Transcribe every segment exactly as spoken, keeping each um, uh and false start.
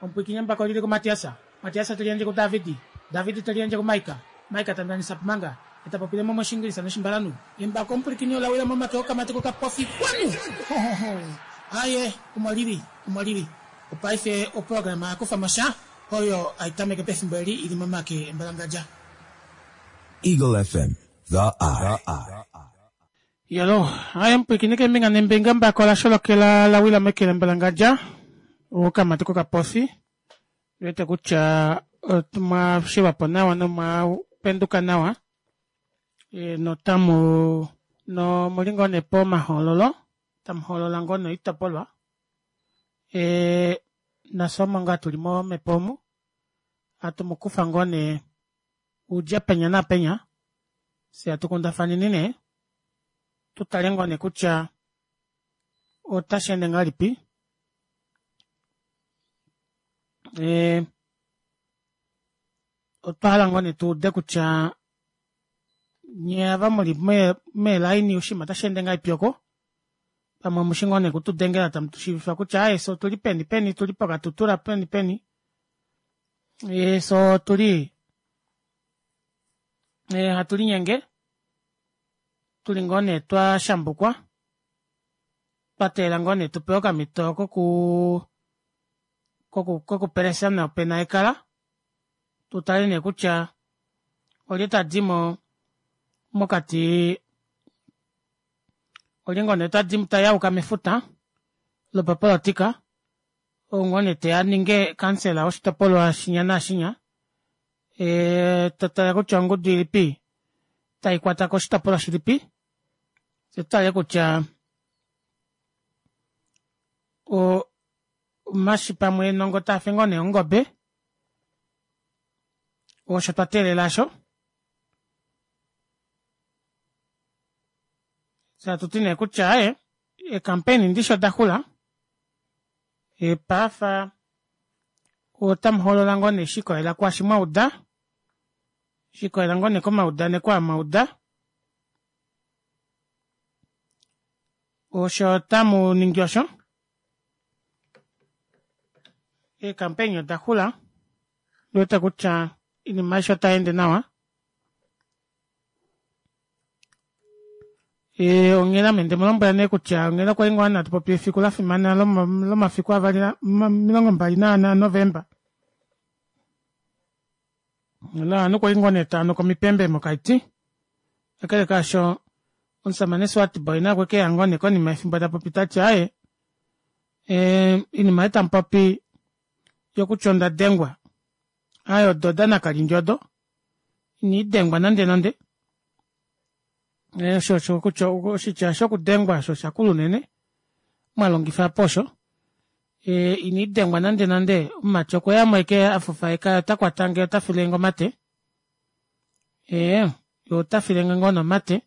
Omupwiikini embako olili kuMatias, Matias te liyandje kuDavid, David te liyandje kuMaika, Maika ta ndanisa manga, ye ta popile mumwe Oshiingilisa nOshimbalanhu. Embako omupwilikini ola wila momake okamati kokapofi. Kwanu! Aaye, omo li li, omo li li. Opaife oprograma ya kufa mo sha oyo hai tameke pefimbo eli i li momake embalangadja. Eagle F M, The Eye. Yalo, aye mupwiikini keembinga neembinga embako la sholokela la wila meke lembalangadja okamati kokapofi wete kutya omwa shivapo nawa nomwa penduka nawa e, notamu no muli ngoo nee pomahoololo tamu hoolola ngoo noitopolwa e, nafye omo ngaa tuli momhepo omu hatu mu kufa ngoo nee udje penya naapenya fye hatu kundafaneni nee tu tale ngoo nee kutya otashi ende ngahelipi e, otwa hala ngoo nee tuude kutya nye ava muli meelaini oshinima otashi ende ngahelipi oko pamwe omushi ngoo nee kutudengela tamu tushiivifa kutya aaye fye otuli peni peni tuli poKatutura peni peni e, fye otuli e, hatu linyenge tuli ngoo nee twa shambukwa twa teelela ngoo nee tupewe okamhito koku koku kokupelesa nopena ekala tutale nee kutya olye tadimo mokati olye ngoo nee tadi tayauka mefuta lopapolotika ou ngoo nee teya aninge kansela woshitopolwa shinya naashinya e, totale kutya ongudu ilipi taikwata koshitopolwa shilipi fye tutale kutya o omashi pamwe nongo taafe ngoo nee ongobe osho twa teelela osho fye atuti nee kutya aaye eekampeni ndishi odaxula epaafa otamuhoolola ngoo nee shikolela kwaashi mwauda shikolela ngoo nee komaudaneko aa mwauda osho tamu ningi osho eekampeni odaxula ndiwete kutya oinima aishe otayeende nawa e, onghela ame ndemulombwela nee kutya onghela okwali ngoo hatu popi efiku lafimana lomafiku avali omilongo mbali naane aNovemba ovanhu kwali ngoo nee taanuka omipembe mokaiti kakele kaasho omusamane Swartbooi naye okwe keya ngoo nee konima yefimbo tapopi tati aaye oinima ei tamupopi yokutya onda dengwa aaye odo odanakali odo ina dengwa nande nande osho osho kutya oshitya shokudengwa osho shakula unene mwalongifa apo osho e, ina dengwa nande nande omumati okweyamo eke afufaeka ota kwatange ota filenge omate ee ye ota filenge ngoo nomate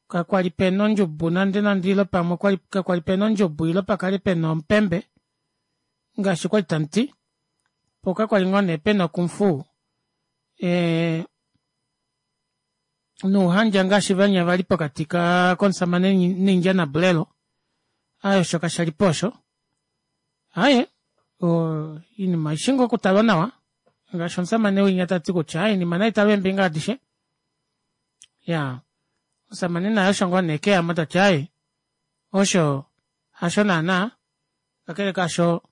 kakwali pena ondjubu nande nande ile pamwe kakwali pena ondjubu ile pakale pena omupembe ngaashi kwali tamuti po kakwali ngoo nee pena okumfu e, nuuhandja ngaashi vanya vali pokati komusamane Ninja naBulelo aaye osho kashalipo osho aaye oinima oishi ngoo okutalwa nawa ngaashi omusamane winya tati kutya aaye oinima naitalwe eembinga adishe ya omusamane naye osho ngoo nee keyamo tati aaye osho hasho naana kakele kaasho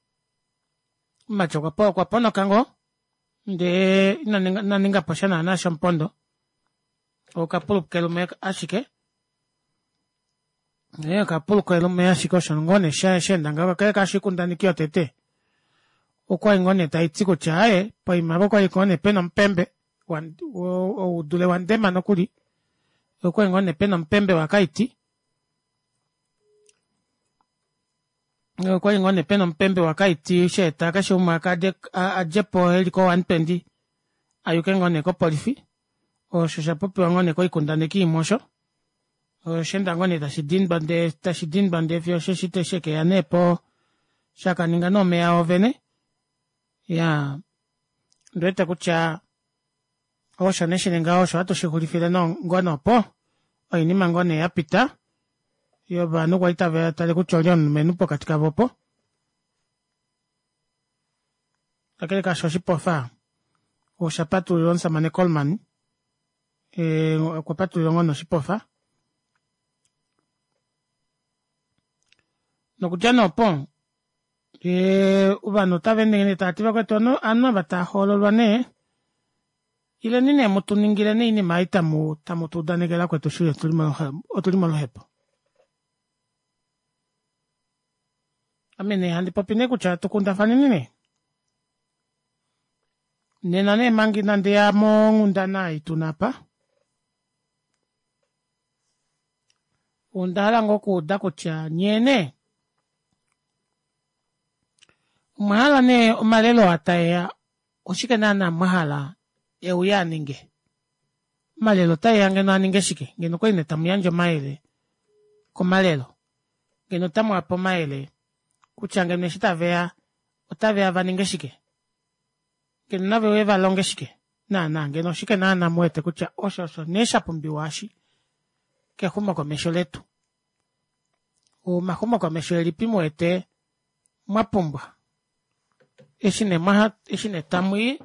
omumati okwa ponoka ngoo ndee ina ningapo sha naana shomupondo okapulukelume ashike ee okapulukelume ashike osho ngoo nee sheenda ngaho kakele kaasho oikundaneki yotete okwali ngoo nee taiti kutya aaye poima apo okwali ngoo nee pena omupembe oudule wandema nokuli okwali ngoo nee pena omupembe wakaiti okwali ngoo nee pena omupembe wakaiti sheeta keshe umwe adjepo eli ko one twenty ayuke ngoo nee kopolifi osho shapopiwa ngoo nee koikundaneki imwe osho osheenda ngoo nee tashi dindwa ndee tashi dindwa ndee fiyo osheshi shekeya nee po shakaninga nee omeya ovene iyaa ondiwete kutya osho nee shili ngaho osho hatu shixulifile ngoo nee opo oinima ngoo nee yapita yovanhu kwali tava tale kutya olye omulumenhu pokati kavo opo. Kakele kaasho oshipofa osha patululilwa omushamane Coleman okwa patululilwa ngoo nee oshipofa nokudja nee opo ovanhu otaveende nee tavati vakwetu ovanhu ava taahoololwa nee ileni nee mutuningile nee oinima ei tamu tuudanekele vakwetu shili otuli moluhepo. Ame nee handi popi nee kutya tukundafaneni nee nena nee manga ina ndiya monghundana ei tuna aapa ondahala ngoo okuuda kutya nyee nee omwahala nee omalelo aa taeya oshike naana mwahala euye aninge omalelo otaeya ngeno aninge shike ngeno okwali nee tamuyandje omayele komalelo ngeno otamuvape omayele kutya ngeno eshi taveya otaveya vaninge shike ngeno naveuye valonge shike naana ngeno oshike naana muwete kutya osho osho nee shapumbiwa aashi kexumokomesho letu omaxumokomesho elipi muwete mwapumbwa eshi nee tamwii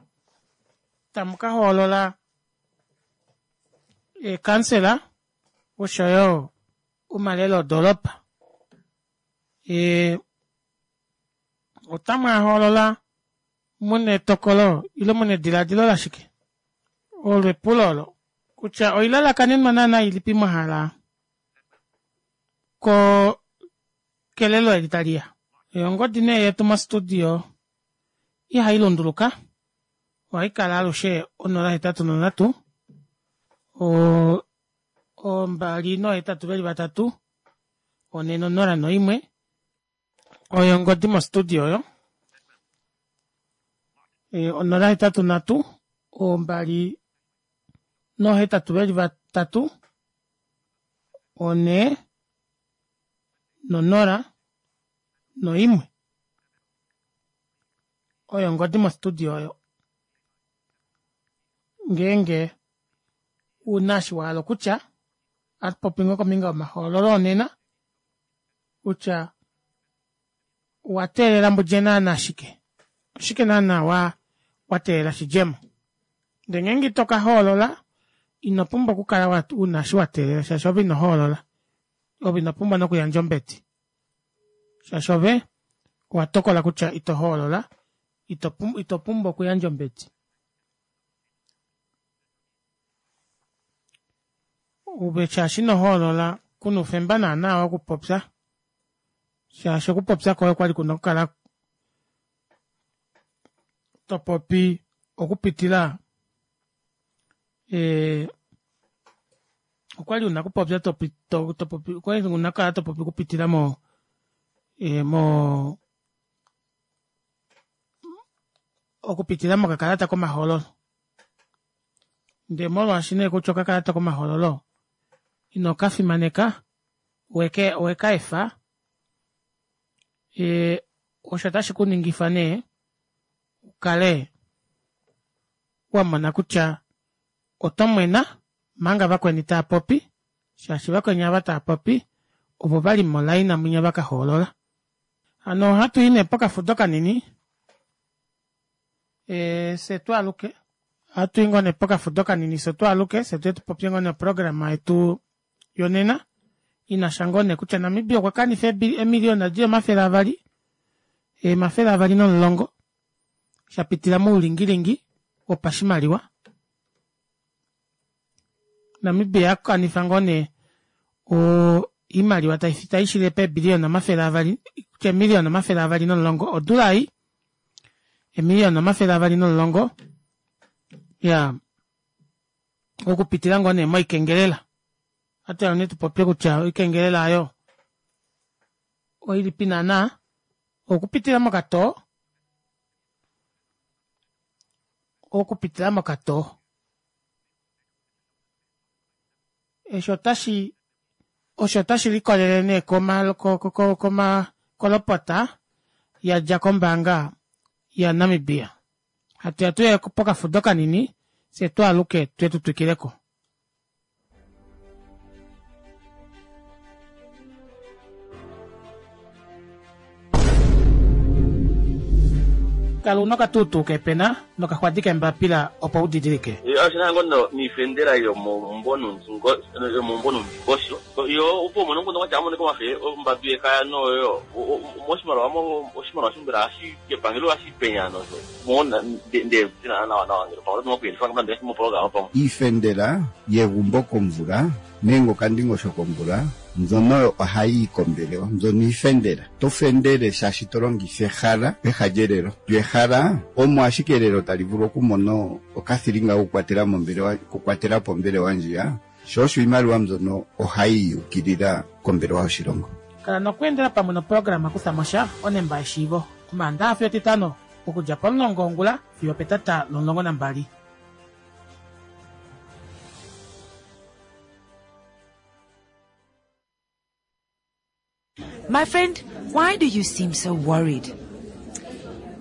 tamukahoolola eekansela oshoyo omalelo odoropa ee otamwaahoolola muna etokolo ile muna edilaadilo lashike olo epulo oolo kutya oilalakanenwa naana ilipi mwahala koo kelelo eli taliya ongodi nee yetu mo studio ihailunduluka ohaikala alushe onola hetatu nondatu ombali noohetatu veli vatatu onhe nonola noimwe oyo ongodi mo studio oyo onola hetatu nhatu ombali noohetatu veli vatatu onhee nonola noimwe oyo ongodi mo studio oyo ngeenge una eshi wahala okutya ohatupopi ngoo kombinga yomahoololo onena kutya owateelela mudje naana shike oshike naana wateelela shidjemo ndee ngeenge itoka hoolola inopumbwa okukala una eshi wateelela shaashi ove inohoolola ove inopumbwa nokuyandja ombedi shaashi ove owatokola kutya ito hoolola ito pumbwa okuyandja ombedi ove shaashi inohoolola kuna oufemba naana wokupopya shaashi okupopya kwoye okwali kuna okukala topopi okupitila ee okwali una okupopya topopi okwali una okukala topopi okupitila mo moo okupitila mokakalata komahoololo ndee molwaashi nee kutya okakalata komahoololo inokafimaneka owekaefa osho otashi kuningifa nee ukale wamona kutya otomwena omanga vakweni taapopi shaashi vakweni aava taapopi ovo vali mo line mwinya vakahoolola hano ohatuyi nee pokafudo kanini fyee twaaluke ohatui ngoo nee pokafudo kanini fyee twaaluke fyee tuye tupopye ngoo nee oprograma yetu yonena inasha ngoo nee kutya Namibia okwa kanifa eemiliona dili omafele avali omafele avali nomulongo shapitila moulingilingi wopashimaliwa Namibia akanifa ngoo nee oimaliwa taishili peebillion omafele avali kutya eemilion omafele avali nomulongo odula ei eemilion omafele avali nomulongo iyaa okupitila ngoo nee moikengelela ohatuya nee tupopye kutya oikengelela aayo oilipi naana okupitila mokatoo okupitila mokatoo eshi otashi osho otashi likolele nee koma kolopota yadja kombaanga ya namibia hatuya tuye pokafudo kanini fyee twaaluke tuye tutwikileko. Kala una okatuutuu kepena nokaxwadi kembapila opo u didilike. Oshina ngono niifendela yomombo yomombo nomundingosho yo opo mono ngono wacha amone komafe ombatu yekaya noyo moshimaliwa mo oshimaliwa shimbela ashi kepangelo ashi penya no mona nde tina nawa nawa ngelo pamwe nokuyelifa ngamande mo program pamwe iifendela yegumbo komvula nenge okandingosho komvula mbyono ohayi yi kombelewa mbyono iifendela to fendele shaashi to longitha ehala peha lyelelo lyo ehala omo ashike elelo tali vulu okumona okathilinga kokukwatela mombelewa kukwatela po ombelewa ndjiya sho osho iimaliwa mbyono ohayi yukilila kombelewa yoshilongo. Kala nokweendela pamwe noprograma kutha mosha onemba yeshiivo omaandaxa fiyo etitano okudja pomulongo wongula fiyo petata lomulongo nambali. My friend, why do you seem so worried?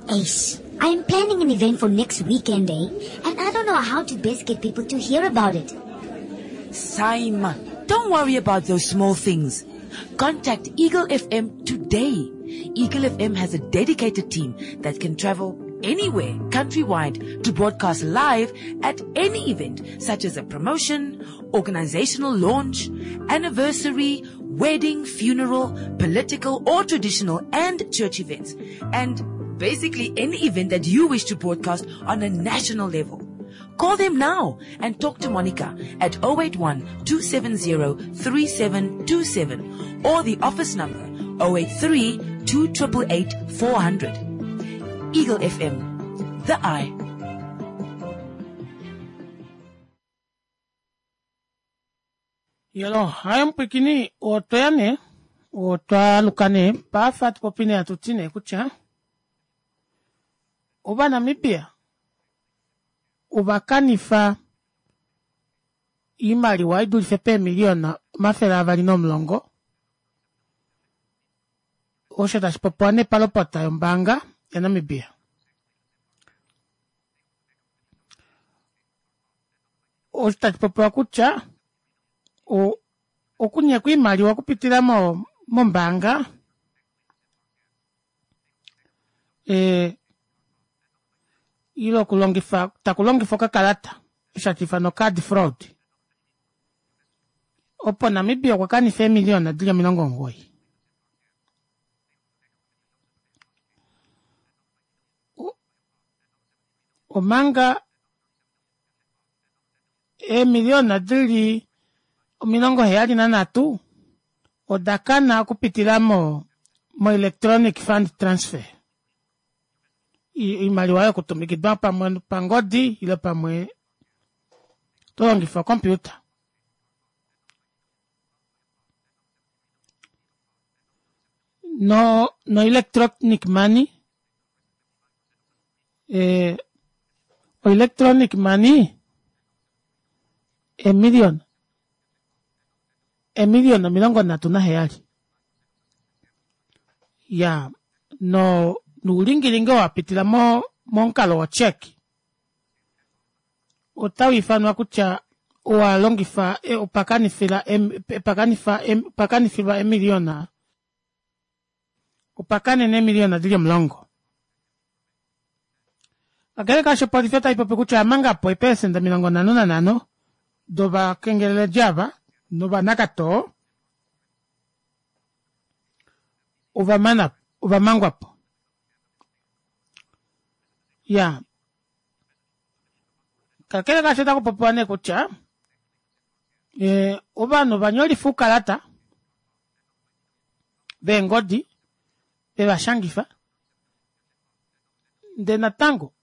Ace, I'm planning an event for next weekend, eh? And I don't know how to best get people to hear about it. Saima, don't worry about those small things. Contact Eagle F M today. Eagle F M has a dedicated team that can travel anywhere countrywide to broadcast live at any event, such as a promotion, organizational launch, anniversary, wedding, funeral, political or traditional and church events, and basically any event that you wish to broadcast on a national level. Call them now and talk to Monica at oh eight one, two seven zero, three seven two seven or the office number oh eight three, two triple eight, four hundred. Eagle F M, the eye. Yelo, hayo mpwikini otweya ne, otwa ne, pafa tupopine atutine kutya ova Namibia ovakanifa iimaliwa idulife peemiliyona omafele avali nomulongo osho tashi popiwa nepalopota yombaanga yaNamibia. Osho tashi popiwa kutya okunyekwa iimaliwa okupitila mo mombaanga e ile okulongifa takulongifa okakalata osho no card fraud opo Namibia okwa kanifa eemiliyona dili omilongo omugoyi. Omanga eemiliyona dili omilongo heyali nanhatu oda kana okupitila mo mo electronic fund transfer. Iimaliwa yokutumikidwa pamwe pangodi ile pamwe to longifa computer. No no electronic money eh electronic money emillion emillion omilongo nhatu naheyali ya no nuulingilingi wapitila mo momukalo wo check otau ifanwa kutya owa longifa opakanifila opakanifa opakanifilwa emiliyona opakanene emiliyona dili omulongo. Kakele kaasho opolifi otai popi kutya omanga po eepelesenda omilongo nhano nanhano dovakengeleledi ava novanakatoo ovamana ovamangwapo. Ya kakele kaasho otaku popiwa nee kutya e, ovanhu vanyolifa oukalata veengodi vevashangifa ndee natango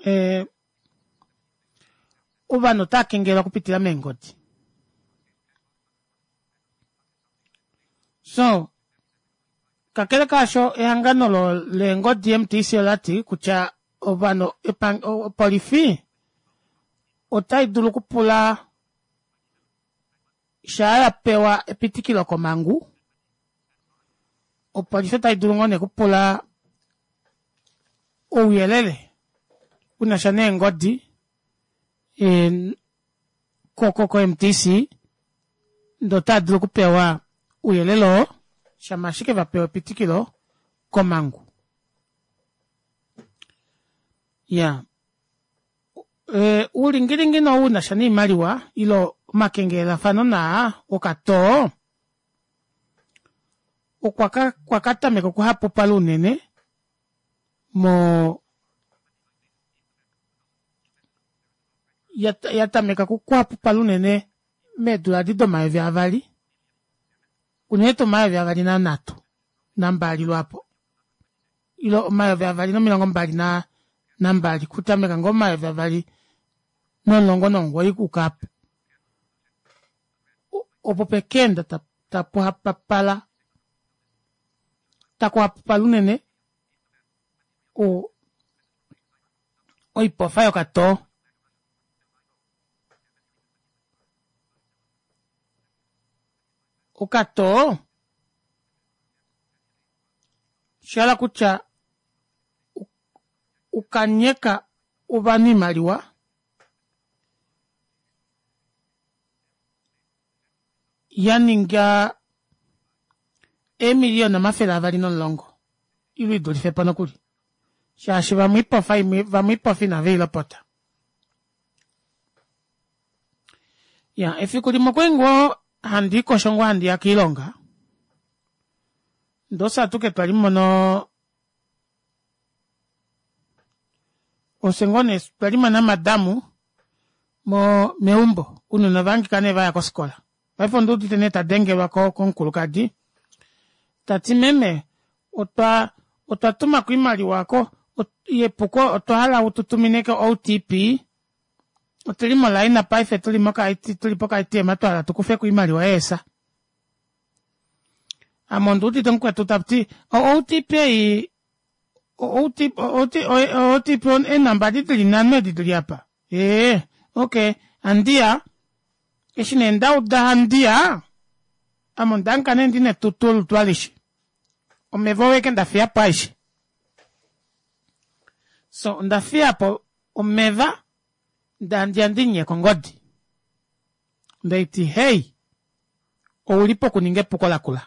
e, ovanhu otava kengelelwa okupitila meengodi. So kakele kaasho ehangano leengodi M T C olati kutya ovanhu opolifi otai dulu okupula shaa ya pewa epitikilo komangu, opolifi otai dulu ngoo nee okupula ouyelele unasha neengodi ko M T C ndee otava dulu okupewa ouyelele oo shama ashike vapewa epitikilo komangu. Iyaa uulingilingi nee ou unasha noimaliwa ile omakengelelafano naa okatoo okwa katameka okuhapupala unene moo yatameka okuhapupala unene meedula edi domayovi avali unene tuu omayovi avali nanhatu nambali lwaapo ile omayovi avali nomilongo mbali nambali okutameka ngoo momayovi avali nomulongo nomugoyi okuuka aapo opo pekaenda tapuhapupala takuhapupala unene o oipofa yokatoo. Okatoo oshahala kutya ukanyeka ovanhu oimaliwa yaninga eemiliyona omafele avali nomulongo ile idulifepo nokuli shaashi vamwe oipofa imwe vamwe oipofa inaveilopota. Iyaa efiku limwe okwali ngoo handiikosho ngoo handiya koilonga ndee ofye atuke twalimo noo ofye ngoo nee twalimo namadamu mo meumbo ounona ovahangika nee vaya kofikola paife onduudite nee tadengelwa komukulukadi tati meme otwa otwatumako oimaliwa aako yepuko otwahala ututumine ko O T P otuli moline paife tuli poka A T M twahala tukufeko oimaliwa yeesa. Ame onduudite mukwetu tati o O T P ei o O T P eenamba edi dili nhano edi dili aapa ee okey handiya eshi nee ndauda handiya ame ondahangika nee ndina etutu olutu alishe omeva oo ashike ndafiyapo aeshe soo ondafiyapo omeva ndee handiya ndimunyeke ongodi ndeeti hey ouli pokuninga epuko lakula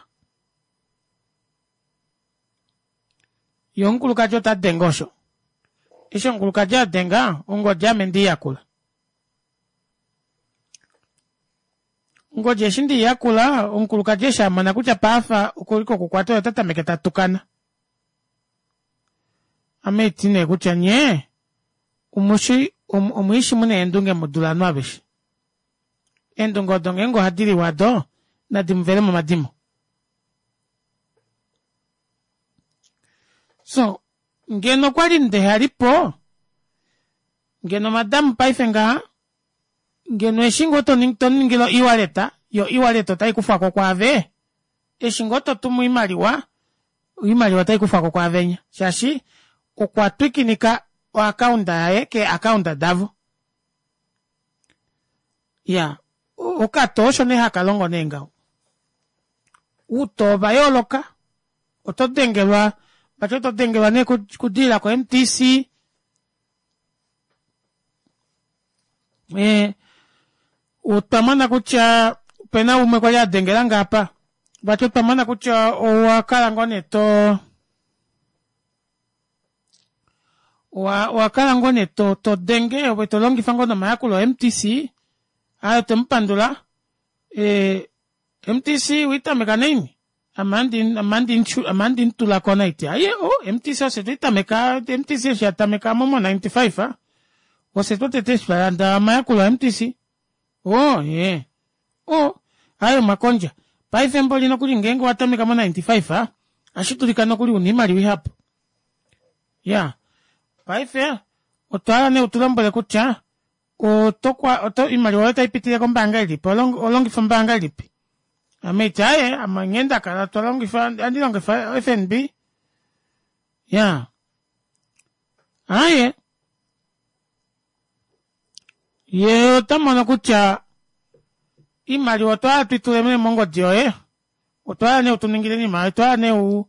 yee omukulukadi otadenge osho eshi omukulukadi adenga ongodi ame ndeiyakula ongodi eshi ndeiyakula omukulukadi eshi amona kutya paife okuli kokukwata oye otatameke tatukana ame haiti nee kutya nyee omushi omwiishi muna eendunge mudule ovanhu aveshe eendunge odo ngeenge ohadiliwa do nadi muvele momadimo so ngeno okwali ndehalipo ngeno madam paife ngaha ngeno eshi ngoo tomuningile o e-wallet yo e-wallet otaikufwako kwaave eshi ngoo totumu oimaliwa oimaliwa otaikufwako kwaavenya shaashi okwa twikinika o account yaye kee account davo. Iyaa okatoo osho nee hakalongo nee ngaho. Outoo ova yooloka oto dengelwa vati oto dengelwa nee okudilila ko M T C ee otwa mona kutya opena umwe kwali adengelange aapa vati otwa mona kutya owakala ngoo nee too owakala ngoo nee todenge ove tolongifa ngoo nee omayakulo o M T C aaye otwemupandula ee M T C oweitameka naini ame ohandi mutulako haiti aaye o M T C ofye tweitameka M T C eshi yatameka momo ninety five ofye twotete eshi twalanda omayakulo a M T C oo ee oo aaye omwakondja paife mboli nokuli ngeenge owatameka mo ninety five ohashidulika nokuli una oimaliwa ihapu iyaa paife otwahala nee utulombwele kutya otokwa oto oimaliwa yoye otaipitile kombaanga ilipi oholongifa ombaanga ilipi ame haiti aaye ame nghee ndakala twalongifa ohandi longifa F N B iyaa aaye yee otamono kutya oimaliwa otwahala tuitule nee mongodi yoye otwahala nee utuningile oinima yoye otwahala nee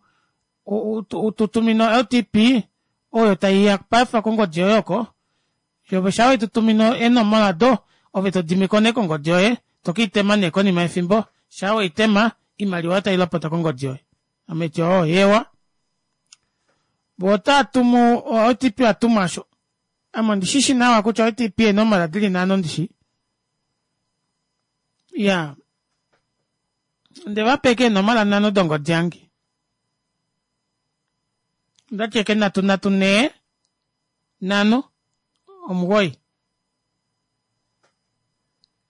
ututumine o L T P oyo taiya paife kongodi yoye oko ove shaa wetutumine eenomola odo ove todimiko nee kongodi yoye tokeitema nee konima yefimbo shaa weitema oimaliwa otailopota kongodi yoye ame haiti oo eewa Vo otaa tumu O T P atuma osho. Ame ondishishi nawa kutya O T P eenomola dili nhano ndishi. Ya. Onde va pa ashike eenomola nhano dongodi yange. Ondati ashike nhatu nhatu nhee nhano omugoyi.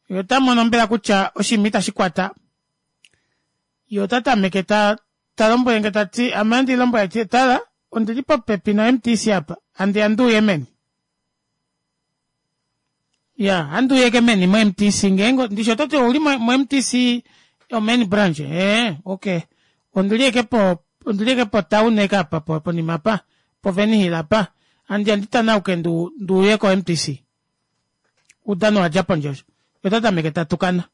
Ye ota mono mbela kutya oshinima itashi kwata. Ye ota tameke ta talombwelenge tati ame ohandi lombwele tati tala ondili popepi no M T C apa handiya nduuye meni. Ya handuuye ke meni mo M T C ngeenge ndishi ototi ouli mo M T C yo main branch ee okay ondili eke po ondili eke po town eke apa ponima apa po Venihil apa handiya nditanauke ndu nduuye ko M T C. Udano wadja pondje osho. Ota tameke tatukana.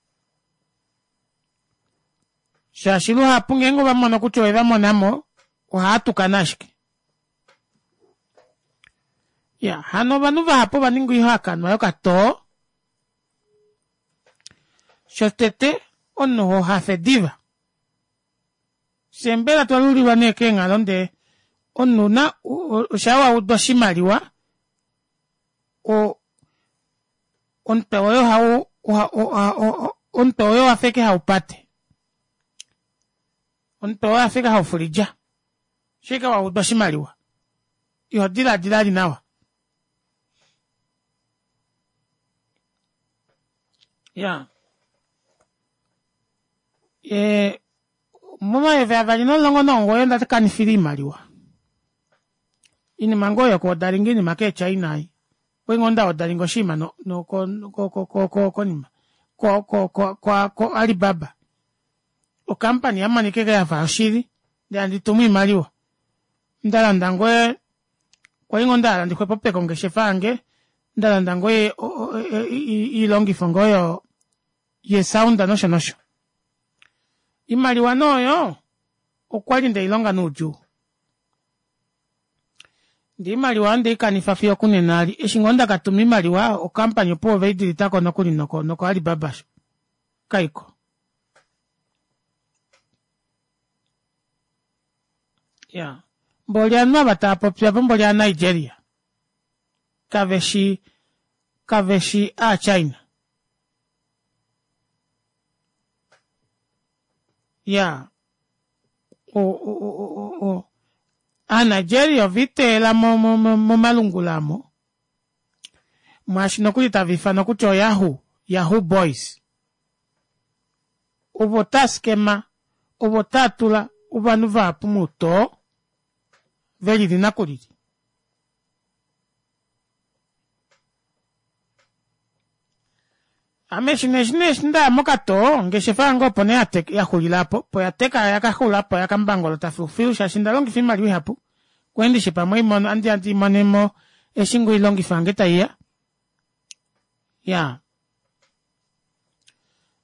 Shaashi luhapu ngeenge ova mono kutya ove va monamo ohaa tukana ashike. Ya, hano ovanhu vahapu ova ninga oihakanwa yokatoo. Shotete omunhu ho hafe diva. Fye mbela twa lulilwa nee keenghalo ndee omunhu na osha wa uda oshimaliwa o omutwe woye ohau omutwe woye owafa ashike haupate. Omutwe woye owafa ashike haufulidja. Shike wa uda oshimaliwa. Iho diladila ali nawa. Ya. E, momayovi avali nomulongo nomugoyi onda kanifila oimaliwa. Inima ngoo yokuodalinga oinima keeChina ei. Okwali ngoo ndaodalinga oshinima no, no, ko, ko, ko, ko, konima. Ko, ko, ko, ko, ko Alibaba. Okampani yamonika eke yafa oshili. Ndee handi tumu oimaliwa. Ndalanda ngoo kwali ngoo ndahala ndixwepopeke ongeshefa yange. Ndalanda ngoo iilongifo ngoo yo yesound nosho nosho. Imaliwa nooyo okwali ndeilonga noudjuu. Ndee imaliwa ondeikanifa fiyo okunena ali. Eshi ngoo ndakatuma imaliwa okampani opo oveidilitako nokuli noko noko Alibaba sho. Kaiko. Ya. Mboli ovanhu ava tava popi apa mboli aaNigeria. Kaveshi kaveshi aaChina. Ya. O o o o aaNigeria oviiteela mo mo momalungula amo. Mwaashi nokuli tava ifanwa kutya oYahoo, Yahoo Boys. Ovo taa skema, ovo taa tula ovanhu vahapu moutoo velili nakulili. Ame eshi nee eshi ndaya mokatoo ongeshefa yange opo nee yaxulila aapo opo yateka yakaxula po yakambangolota filufilu shaashi ndalongifa oimaliwa ihapu. Kwali ndishi pamwe imono andi handi imonemo eshi ngoo oilongifo yange taiya. Ya.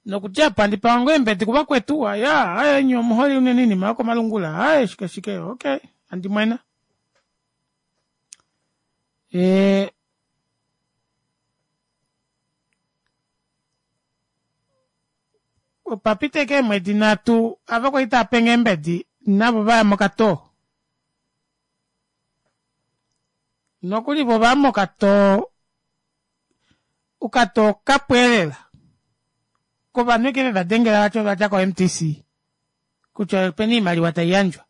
Nokudja apa handi pewa ngoo eembedi kuvakwetu, aya, aye nye omuhole unene oinima yokomalungula, aye shike shike, okay, handi mwena. E, opa pita ashike eemwedi nhatu ava kwali tava penge eembedi navo vaya mokatoo. Nokuli vo vaya mokatoo, okatoo kapweelela. Kovanhu eke veva dengela vati ovadja ko M T C kutya opena oimaliwa taiyandjwa.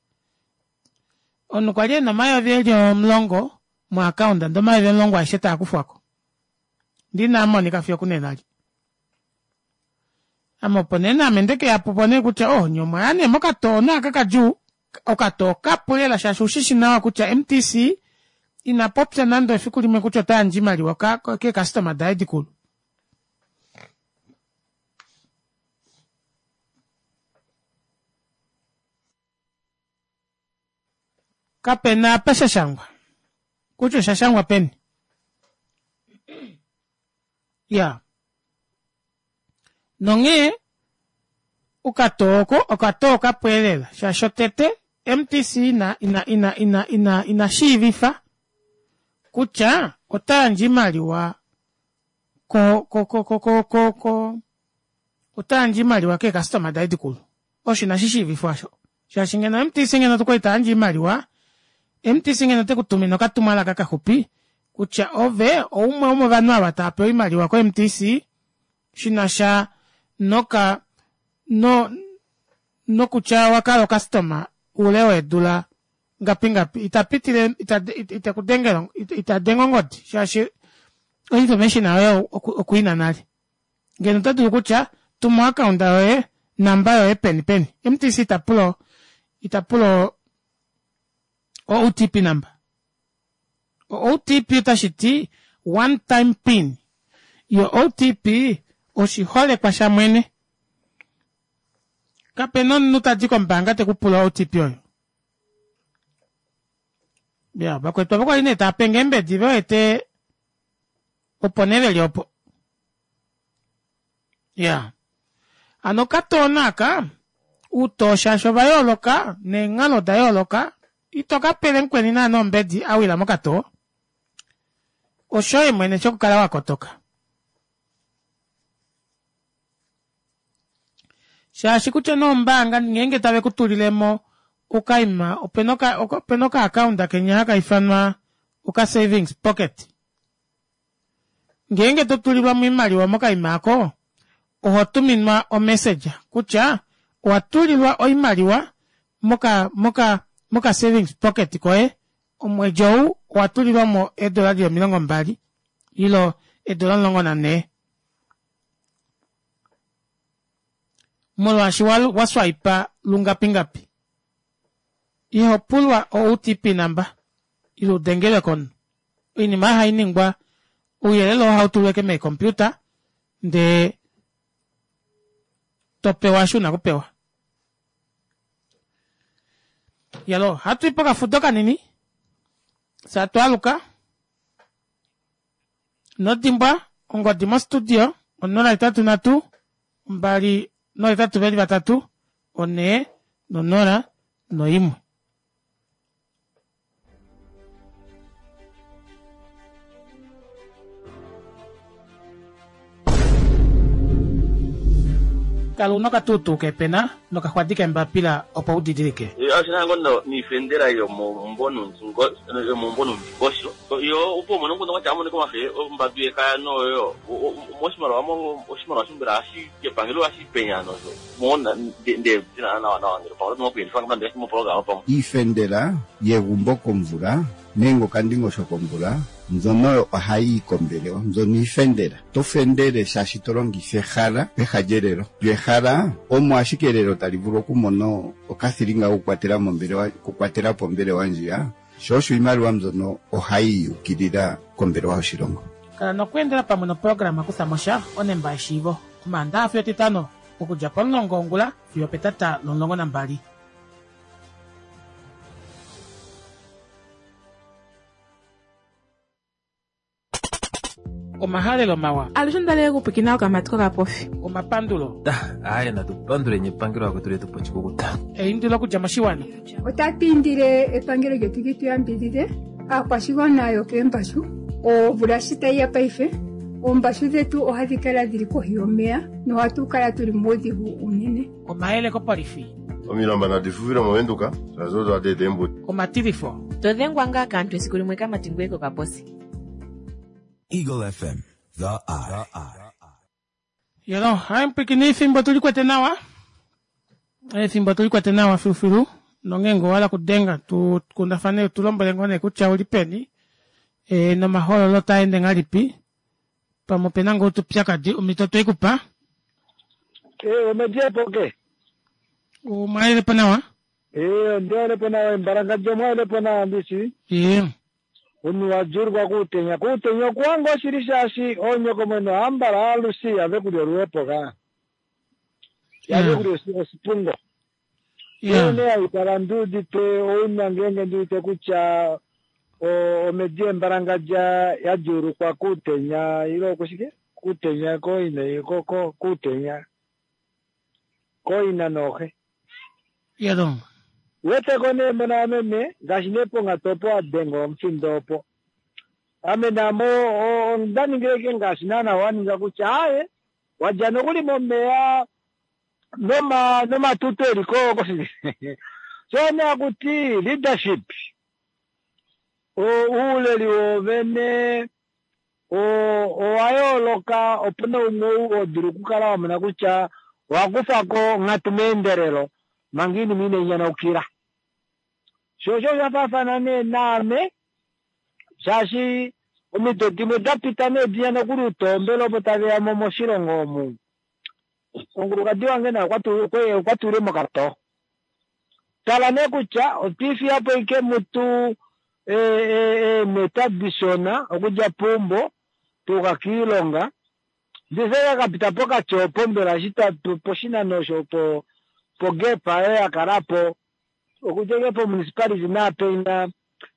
Omunhu kwali ena omayovi eli omulongo mo account ndee omayovi omulongo aeshe taa kufwako. Ndee inaa monika fiyo okunena eli. Ame opo nee naame ndekeya pupo nee kutya oh nye omwaya nee mokatoo naaka kadjuu. Okatoo kapu lela shaashi ushishi nawa kutya M T C ina popya nande efiku limwe kutya ota yandje oimaliwa keekastoma daye dikulu. Kapena apa sha shangwa kutya osha shangwa peni. Ya. Nonghee okatoo oko okatoo kapweelela shaashi otete M T C ina ina ina ina ina ina shiivifa kutya ota yandje oimaliwa ko ko ko ko ko ko ko ota yandje oimaliwa keekastoma daye dikulu. Osho inashi shiivifwa osho. Shaashi ngeno M T C ngeno okwali ta yandje oimaliwa M T C ngeno te ku tumine okatumwalaka kaxupi kutya ove oumwe womovanhu ava tava pewa oimaliwa ko M T C shina sha noka no nokutya wakala okastoma ule weedula ngapi ngapi itapitile itakudengela itadenga ongodi shaashi information yoye okuina nale ngeno ota dulu kutya tuma account yoye namba yoye peni peni M T C itapulo itapulo O T P number. O T P otashi ti one time pin. Yo O T P oshiholekwa shamwene. Kapena omunhu tadi kombaanga te ku pula O T P oyo. Ya, vakwetu avo kwali nee tava penge eembedi ve wete opo nee veli opo. Ya. Ano okatoona aka utoo shaashi ova yooloka neenghalo oda yooloka ito ka pele mukweni naana ombedi a wila mokatoo. Oshoye mwene shokukala wa kotoka. Shaashi kutya nombaanga ngeenge tave ku tulilemo okaima opena opena oka account kenya haka ifanwa oka savings pocket. Ngeenge to tulilwa moimaliwa mokaima ako oho tuminwa o message kutya owa tulilwa oimaliwa moka moka moka savings pocket koye omwedi ou owa tulilwa mo eedola dili omilongo mbali ilo eedola omulongo nanhee molwaashi wa swipa lungapingapi. Iho pulwa o O T P number ilo udengelwe komunhu. Oinima hai ningwa ouyelele oo hautulweke meecomputer ndee topewa eshi una kupewa. Yalo, hatu ipo kafudo kanini sa twaluka nodimbwa ongodi mo studio onola itatu natu mbali nola itatu veli vatatu one nonola noimwe. Kala una okatutu kepena nokaxwadi kembapila opo udidilike. Ashina ngono niifendela yomomumbo yomomumbo nomundingosho yo opo mono ngono kwacha amone komafe ombadu yekaya noyo moshimaliwa mo oshimaliwa shimbela ashi kepangelo ashi penya nozo mona nde na na na ngelo pa no kuyendifanga mande mo program pa ifendela yegumbo komvula nenge okandingosho komvula mbyono ohayi kombelewa mbyono ifendela to fendele shaashi to longitha ehala peha lyelelo lyehala omo ashike elelo tali vulu okumona okathilinga okukwatela mombelewa okukwatela pombelewa ndjiya sho osho iimaliwa mbyono ohayi yukilila kombelewa yoshilongo. Kala nokweendela pamwe noprograma kutha mosha onemba yeshiivo omaandaxa fiyo etitano okudja pomulongo wongula fiyo petata lomulongo nambali. Omahalelo mawa. Alushe ndale kupikina okamati kokapofi. Omapandulo. Aye natupandule epangelo akwetu letu pochikukuta. Eindilo okudja moshiwana. Otatu indile epangelo lyetu li tu yambidhidhe aakwashigwana yokeembashu omvula shi tayi ya paife oombashu dhetu ohadhi kala dhili kohi yomeya nohatu kala tuli muudhigu unene. Omayele kopolifi. Omilamba nadi fufile movenduka shazo twadete embuti. Omatilifo. Todhengwa ngaa kaantu esiku limwe kamati ngweye kokaposi. Eagle F M, the eye. Yalo, hai mpikini efimbo tulikwete nawa. Efimbo tulikwete nawa filufilu. Nongengo wala kudenga tu kundafane tulombole ngone kutya uli peni. E nomahololo taende ngalipi. Pamwe pena ngoo tupyakadi omito ikupa. Eh, omedie poke. Omwaele po nawa? Eh, ndiale po nawa mbaranga jomwaele po nawa mbisi. Eh. Unu wajurwa kutenya kutenya kwangu shiri shashi onyoko mweno ambala alusi ave kulya oluwepo ka ave kulya osipungo ene aikala nduudite ouna ngenge nduudite kutya omedi embalangadja yajurukwa kutenya ilo kushike kutenya koina ko kutenya koina nohe yado weteko nee mona meme ngaashi nee pongatopo adenga omufindo opo ame namo ondaningileke ngaashi naana waninga kutya aye wadja nokuli momeya noma nomatutu eliko so nee akuti leadership Uuleli woovene owa yooloka. Opuna umwe ou ho dulu okukala wa mona kutya owa kufa ko onghatu meendelelo manga oinima inai nyanaukila. Sho osho osha faafana nee naame, shaashi omido dimwe da pita nee dinya nokuli utoombele opo tave ya mo moshilongo omu. Omukulukadi wange naye okwa tulile mokatoo. Tala nee kutya otwiifiya po ike mutu eemeta dishona okudja peumbo tuuka kiilonga. Ndise kapita pokati opo mbela eshi poshinano osho po pogap oyo yakala po okudja ike po municipality naapenya.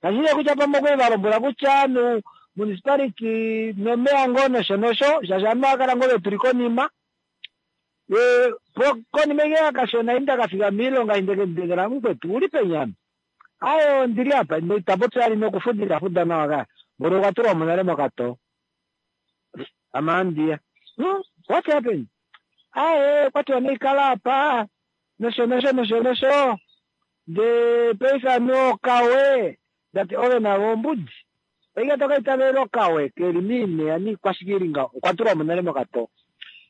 Kashi nee kutya pamwe okwali valombwela kutya ovanhu municipality nomeya ngoo nosho nosho, shaashi ovanhu ohava kala ngoo vetuli konima. Konima ike yakashona eshi ndakafika moilonga eshi ndekemudengela mukwetu uli peni ame? Aaye ondili apa ita popi vali nokufuda ita fuda nawa kaya. Mboli okwa tulwa mo nale mokatoo. Ame ohandiya. What happened? Aaye okwatiwa naikala apa nosho nosho nosho nosho ndee paife anuwa okawe ndati ove navo ombudi. Oike tokaitavelela okawe keli miineya niikwashike ili ngaho okwa tulwa mo nale mokatoo.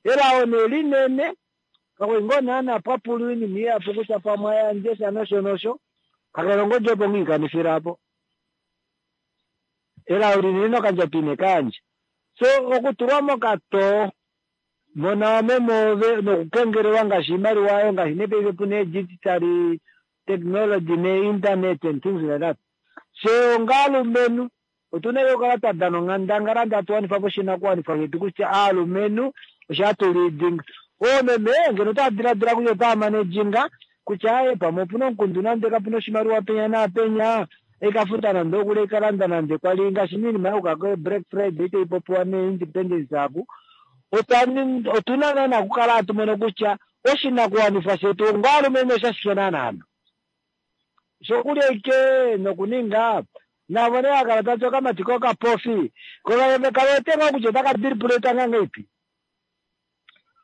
Elao nee linene kakwali ngoo naana pwapulwa oinima ihapu kutya pamwe ayandje sha nosho nosho kakele ongodi opo ngoo ikanifila apo. Elao linene nokandjato ine kayandja. So okutulwa mokatoo mona wameme ove nokukengelelwa ngaashi oimaliwa oyo ngaashi nee paife puna ee-digital technology nee-internet and things like that. Fyee onga aalumenhu otuna yo okukala twa dana onghandangala ndee hatu wanifa po oshinakuwanifwa shetu kutya aalumenhu osho hatu leadinga. Oomeme ngeno otava diladila kutya otava managing kutya aaye pamwe opuna omukundu nande kapuna oshimaliwa penya naapenya ekafuta nande okuli ekalanda nande kwali ngaashi oinima yakuka ko Black Friday itai popiwa nee-Independence aku. Otuna naana okukala hatu mono kutya oshinakuwanifwa shetu onga aalumenhu oshashike naana. Shokulya ike nokuninga navo nee hakala tati okamati kokapofi ko kawete ngoo kutya otaka dribuleta ngahelipi.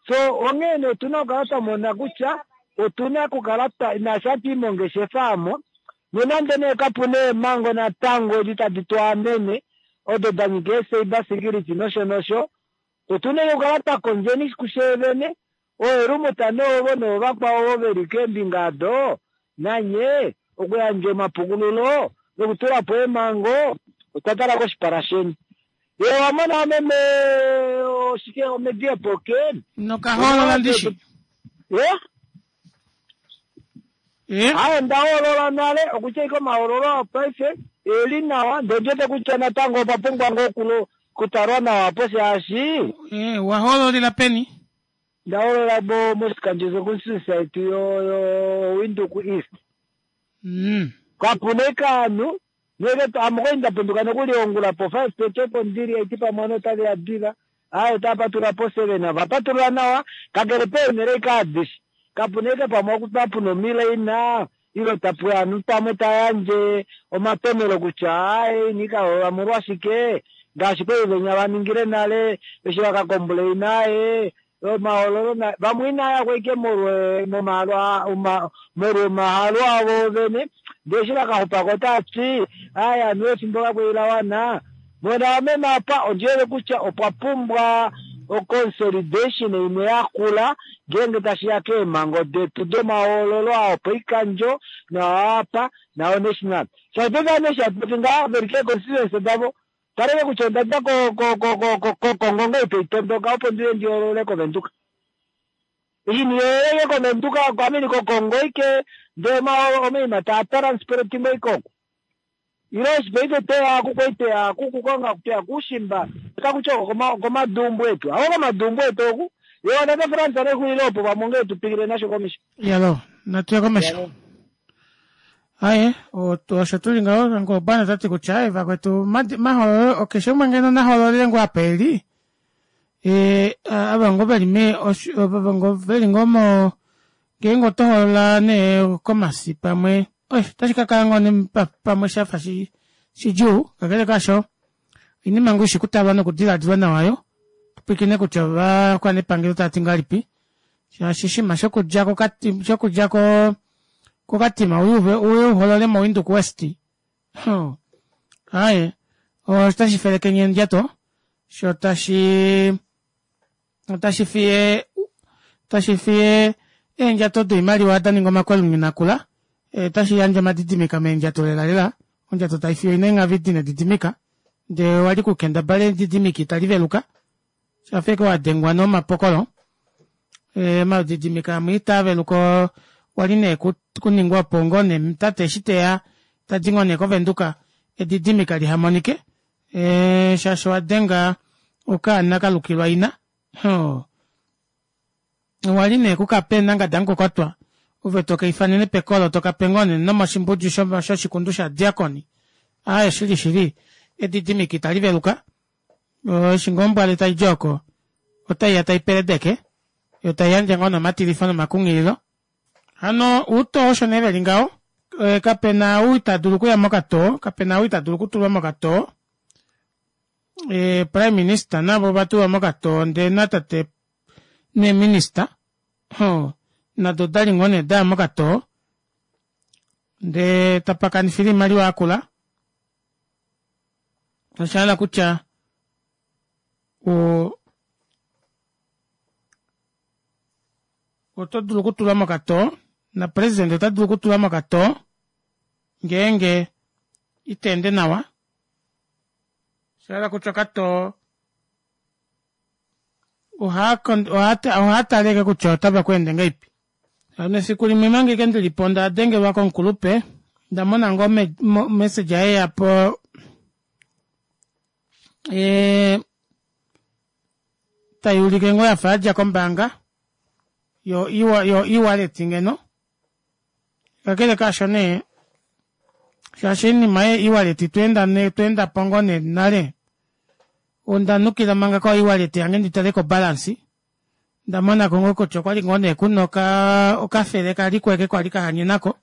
So onghee nee otuna okukala twa mona kutya otuna okukala naashi hatu i mongeshefa aamo nonande nee kapuna eemhango natango edi tadi tu amene odo da nyika ee-cyber security nosho nosho, otuna okukala twa kondjeni kufye vene ooelumuta noovo noovakwao ovo veli keembinga ado nanye okuyandja omapukululo nokutula po eemhango otwa tala koshipala sheni. Ye owamona meme oshike omedia poke Nokahoolola ndishi. Ye? Aaye ndahoolola nale okutya ike omahoololo opaife eli nawa ndee ondiwete kutya natango opa pumbwa ngoo okutalwa nawa apo shaashi wahoololila peni? Ndahoolola moshikandjo constituency yetu yo Windhoek East. Kapuna ike ovanhu ame okwali ndapenduka nokuli ongula po five thirty opo ndili haiti pamwe ovanhu otaveya diva aaye otava patulula po seven ovapatulula nawa kakele peenhele ike adishe kapuna ike pamwe puna omilaina ile tapuya ovanhu pamwe tayandje omatomelo kutya aaye ina ikahoolola molwashike ngaashi kwali venya vaningile nale eshi vakakomplaina aaye omahoololo vamwe inayako ike molwa omahalo avo vene ndee eshi vakaxupako otavati aaye anuwa efimbo kakwali lawana. Mona meme apa ondiwete kutya opwa pumbwa oconsolidation imwe yakula ngeenge tashiya keemhango detu domahoololo aa opoikandjo naapa nao national. Shaashi paife ovanhu eshi hatu popi ngaha veli kee-constituency davo taleke kutya ondadja kOkongo ngoo itaitondoka opo ndiye ndihoolole koVenduka. Eshi ndihoololeke koVenduka ameni kOkongo ike ndee omaima taa transportingwa ike oko. Ile eshi paife tweya aku kwali tweya aku kukonga tweya kuushimba otakutya oko komadumbu etu. Ako komadumbu etu oku ye tate Frans nexulilo opo pamwe ongee tupikile nasho komesho. Yalo, natuye komesho. Aye, osho tuli ngaho ngobana tati kutya aye vakwetu mahoololo keshe umwe ngeno nahoololele ngoo apa eli e ava ngoo veli me ava ngoo veli ngoo mo ngeenge oto hoolola nee komasi pamwe otashi kakala ngoo nee pamwe shafa shidjuu kakele kaasho oinima ngoo ishi kutalwa nokudiladilwa nawa yo tupwilikine kutya ovakwanepangelo tava ti ngahelipi shaashi oshinima shokudja shokudja ko kokatima uye uholole mo Windhoek West. Aaye, otashi felekenye endjato shoo tashi otashi fiye tashi fiye eendjato doimaliwa daninga omakwelununa akula otashi yandje omadidimika meendjato lela lela ondjato taifiyo ina eenghavi dina edidimika ndee owali kukendabala edidimika itali veluka shafa ashike wadengwa nomapokolo omadidimika amwe itaaveluka okwali nee kuningwa opo ngoo nee tate eshi teya tadi ngoo nee kovenduka edidimika lihamonike shaashi owadenga okaana kalukilwa ina oo owali nee kukapa eenanga damukokotwa ove tokaifanene pekolo tokape ngoo nee nomoshimbudju shoshikundu shovadiakoni aaye shili shili edidimika itali veluka eshi ngoo ombwale taidi oko otaiya taipeledeke yoo taiyandje ngoo nee omatilifo nomakunghililo hano outoo osho nee veli ngaho kapena ou itadulu okuya mokatoo kapena ou itadulu okutulwa mokatoo prime minister navo ovatulwa mokatoo ndee natate nee minister nado odali ngoo nee daya mokatoo ndee tapakanifilwa oimaliwa yakula oshahala kutya oo otodulu okutulwa mokatoo na president otadulu okutulwa mokatoo ngeenge iteende nawa oshahala kutya okatoo ohaatale ashike kutya otava kweende ngahelipi hano efiku limwe manga ashike ndilipo ondadengelwa komukulupe ondamona ngoo message yeyapo tayuulike ngoo yafa yadja kombaanga yo e-wallet ngeno kakele kaasho nee shaashi oinima yee e-wallet tweendapo ngoo nee nale ondanukila manga ko e-wallet yange nditale ko balance ondamonako ngoo kutya okwali ngoo nee kuna okafele kaliko eke kwali kahanyenako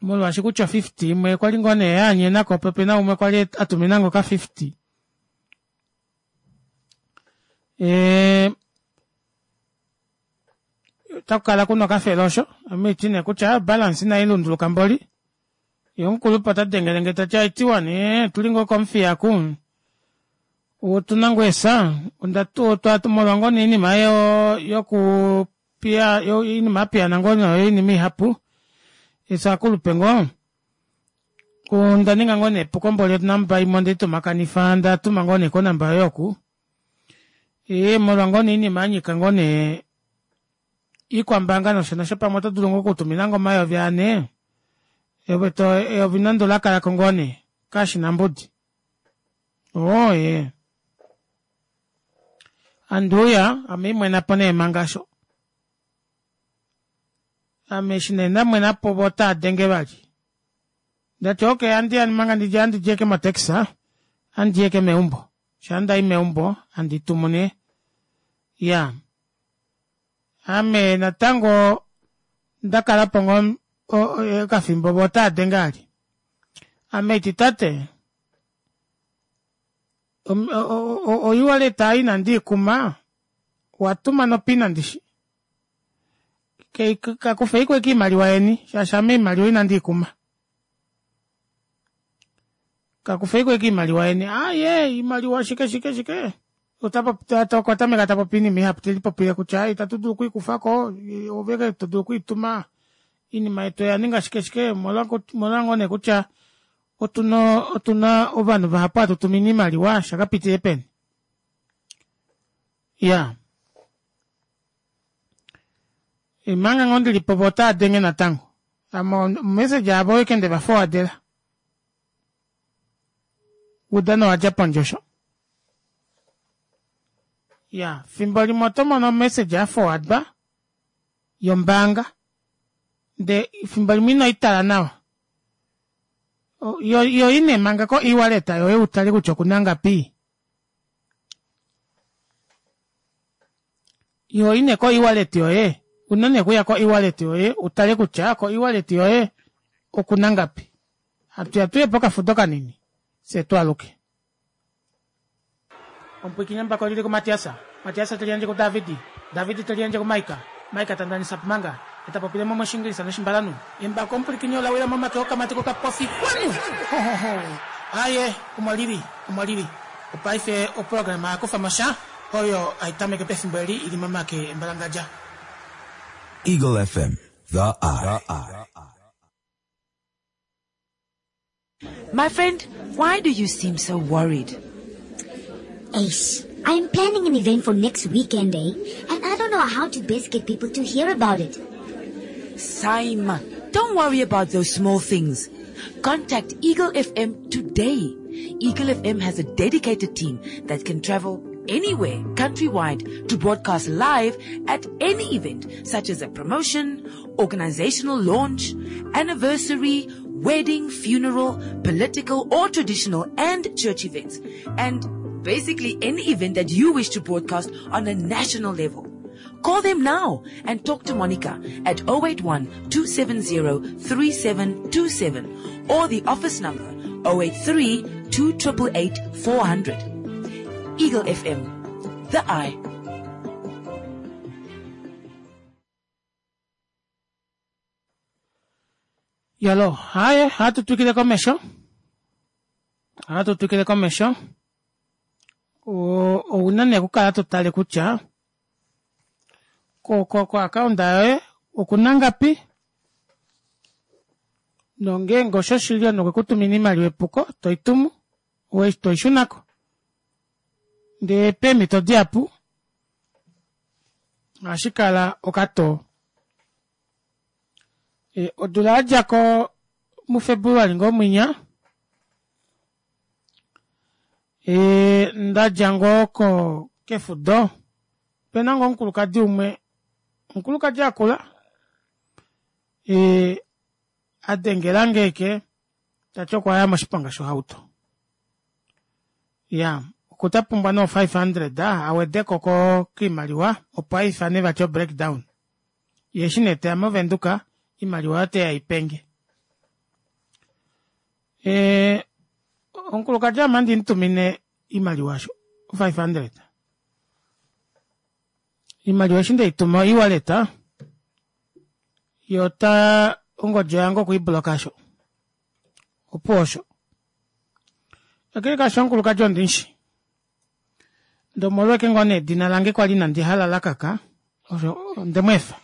molwaashi kutya o fifty imwe okwali ngoo nee yahanyenako po opena umwe kwali atuminange oka fifty otakukala kuna okafele osho ame haiti nee kutya obalance inailunduluka mboli yee omukulupe otadengelenge tati haitiwa nee otuli ngoo komuthiya oku otuna ngoo eesa molwa ngoo nee oinima yoku oinima yapiyaana ngoo nee oinima ihapu fyee ovakulupe ngoo ondaninga ngoo nee epuko mboli onumber imwe ondeitumhakanifa ndatuma ngoo nee konumber yoye oku ee molwa ngoo nee oinima yanyika ngoo nee iikwambaanga nosho nosho pamwe oto dulu ngoo okutuminange omayovi anhe eyovi nande olakalako ngoo nee kashina mbudi oo ee handiuya ame haimwenapo nee manga aasho ame eshi nee ndamwenapo voo otaadenge vali ndati okey handiya manga ndidje handidi ashike mo taxi handii ashike meumbo shaa ndayi meumbo handi tumu nee iyaa ame natango ondakalapo ngoo okafimbo voo otaadenge vali ame haiti tate o e-wallet aayo inandiikuma owatuma no pin ndishi kakufeiko ashike oimaliwa yeni shaashi ame oimaliwa inandiikuma kakufeiko ashike oimaliwa yeni aaye oimaliwa shike shike shike okwa tameka tapopi oinima ihapu telipopile kutya aaye ita tudulu okwiikufako oove ashike todulu okwiituma oinima yetu oyaninga shike shike omolwa ngoo nee kutya otuna otuna ovanhu vahapu hatu tumine oimaliwa shakapitile peni iyaa manga ngoo ndilipo voo otaadenge natango ame omessage avo ashike ndeva forwardela oudano owadja pondje osho iya fimbo limwe otomono omessage yaforwardwa yombaanga ndee fimbo limwe inoitala nawa yo ine manga ko e-wallet yoye utale kutya okuna ngapi yo ine ko e-wallet yoye una nee okuya ko e-wallet yoye utale kutya ko e-wallet yoye okuna ngapi hatuya tuye pokafudo kanini fye twaaluke Omupwiikini embako olili kuMatias, Matias te liyandje kuDavid, David te liyandje kuMaika, Maika ta ndanisa po manga, Etapopile mo moshingilisa noshimbalanhu. Embako omupulikini ola wila momake okamati kokapofi kwanu! Ho ho ho! Aaye, omo lili, omo lili. Opaife oprograma ya kufa mo sha oyo hai tameke pefimbo eli ili momake embalangadja. Eagle F M, The Eye. My friend, why do you seem so worried? Ace, I'm planning an event for next weekend, eh? And I don't know how to best get people to hear about it. Saima, don't worry about those small things. Contact Eagle F M today. Eagle F M has a dedicated team that can travel anywhere countrywide to broadcast live at any event such as a promotion, organizational launch, anniversary, wedding, funeral, political or traditional and church events. And basically any event that you wish to broadcast on a national level. Call them now and talk to Monica at oh eight one two seven zero three seven two seven or the office number oh eight three two eight eight four hundred. Eagle F M, The Eye. Yalo, haye, hatu twikile komesho. Hatu twikile komesho. Ouna nee okukala to tale kutya ko ko ko account yoye okuna ngapi nongeenge osho shili omunhu okwe kutumina iimaliwa epuko toitumu toishunako ndee peemhito dihapu ohashi kala okatoo. E, odula yadjako muFebruali ngoo mwinya e, ndadja ngoo ko kefudo opena ngoo omukulukadi umwe omukulukadi akula e, adengelange eke tati okwaya moshiponga shohauto ya okuta pumbwa no five hundred awedeko ko kiimaliwa opo aifane vati o breakdown ye eshi nee teya movenduka iimaliwa oyo teya ipenge e, omukulukadi ame ohandi mutumine iimaliwa osho five hundred iimaliwa eshi ndeituma o-ewallet ye ota ongodi yange okwiibloka osho opuwo osho kakele kaasho omukulukadi ondimushi ndee omolweke ngoo nee edina lange kwali inandi hala lakaka osho ondemweefa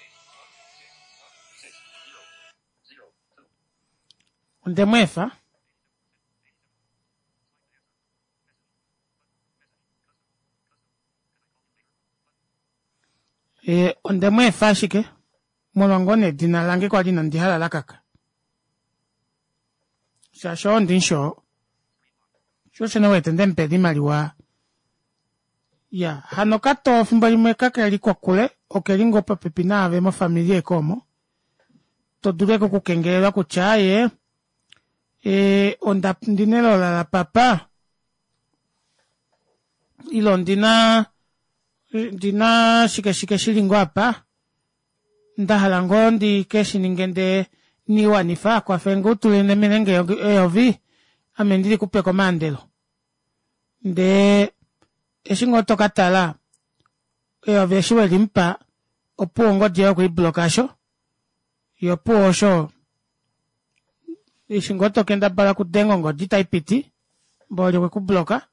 ondemweefa e, ondemweefa ashike molwa ngoo nee edina lange kwali inandi hala lakaka shaashi oo ndimushi oo sho osho nee wete ndemupela iimaliwa ya hano katoo fimbo limwe kakeli kokule okeli ngoo popepi naave mofamili eke omo to dulu eke okukengelelwa kutya aaye e, onda ndina elola lapapa ile ondina ndina shike shike shili ngoo apa ndahala ngoo ndi keshininge ndee niwanifa kwafenge utulinemene eyovi ame ndili kupe komaandelo ndee eshi ngoo tokatala eyovi eshi welimupa opuwo ongodi yoye okwiibloka osho ye opuwo osho eshi ngoo tokendabala okudenga ongodi itaipiti mboli okwekubloka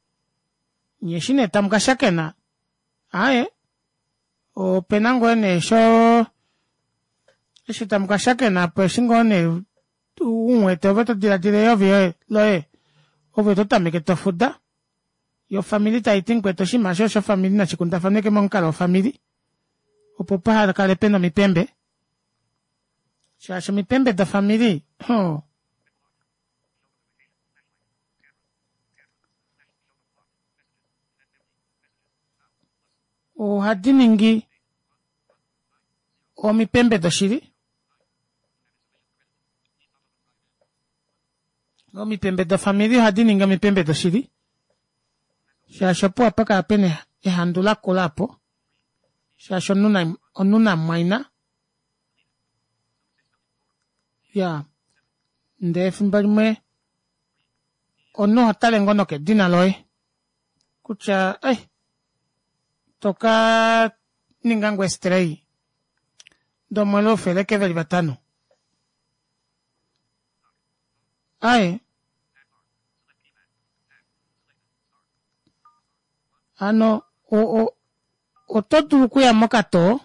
nyee eshi nee tamukashakena aaye opena ngoo nee sho eshi tamukashakena apo eshi ngoo nee umuwete ove todiladila eyovi loye ove ototameke tofuda yo ofamili taiti mukwetu oshinima eshi oshofamili nashikundafanweke momukalo wofamili opo pahakale pena omipembe shaashi omipembe dofamili oh, ohadi ningi omipembe doshili omipembe dofamili ohadi ningi omipembe doshili shaashi opo hapakala pena ehandu lakula apo shaashi omunhu namumwaina ya ndee efimbo limwe omunhu oho tale ngoo nokedina loye kutya ei toka ninga ngoo estray Ndomwele oufeleke veli vatano. Aye. Hano o o oto dulu okuya mokatoo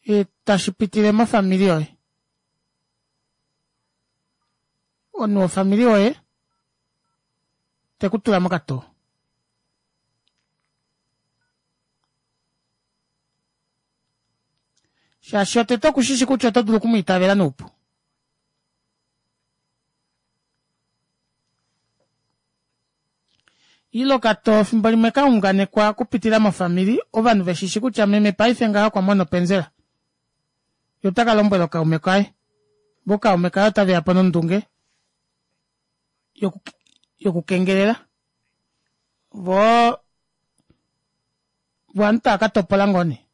e tashi pitile mofamili yoye. Omunhu wofamili yoye tekutula mokatoo. Shaashi otete okushishi kutya oto dulu okumwiitavela noupu. Ile okatoo fimbo limwe kaunganekwa okupitila mofamili ovanhu veshishi kutya meme paife ngaha okwa mona openzela. Ye otaka lombwela okaume kaye. Vo kaume kaye otaveyapo nondunge yoku yokukengelela. Voo vo ovanhu tava katopola ngoo nee.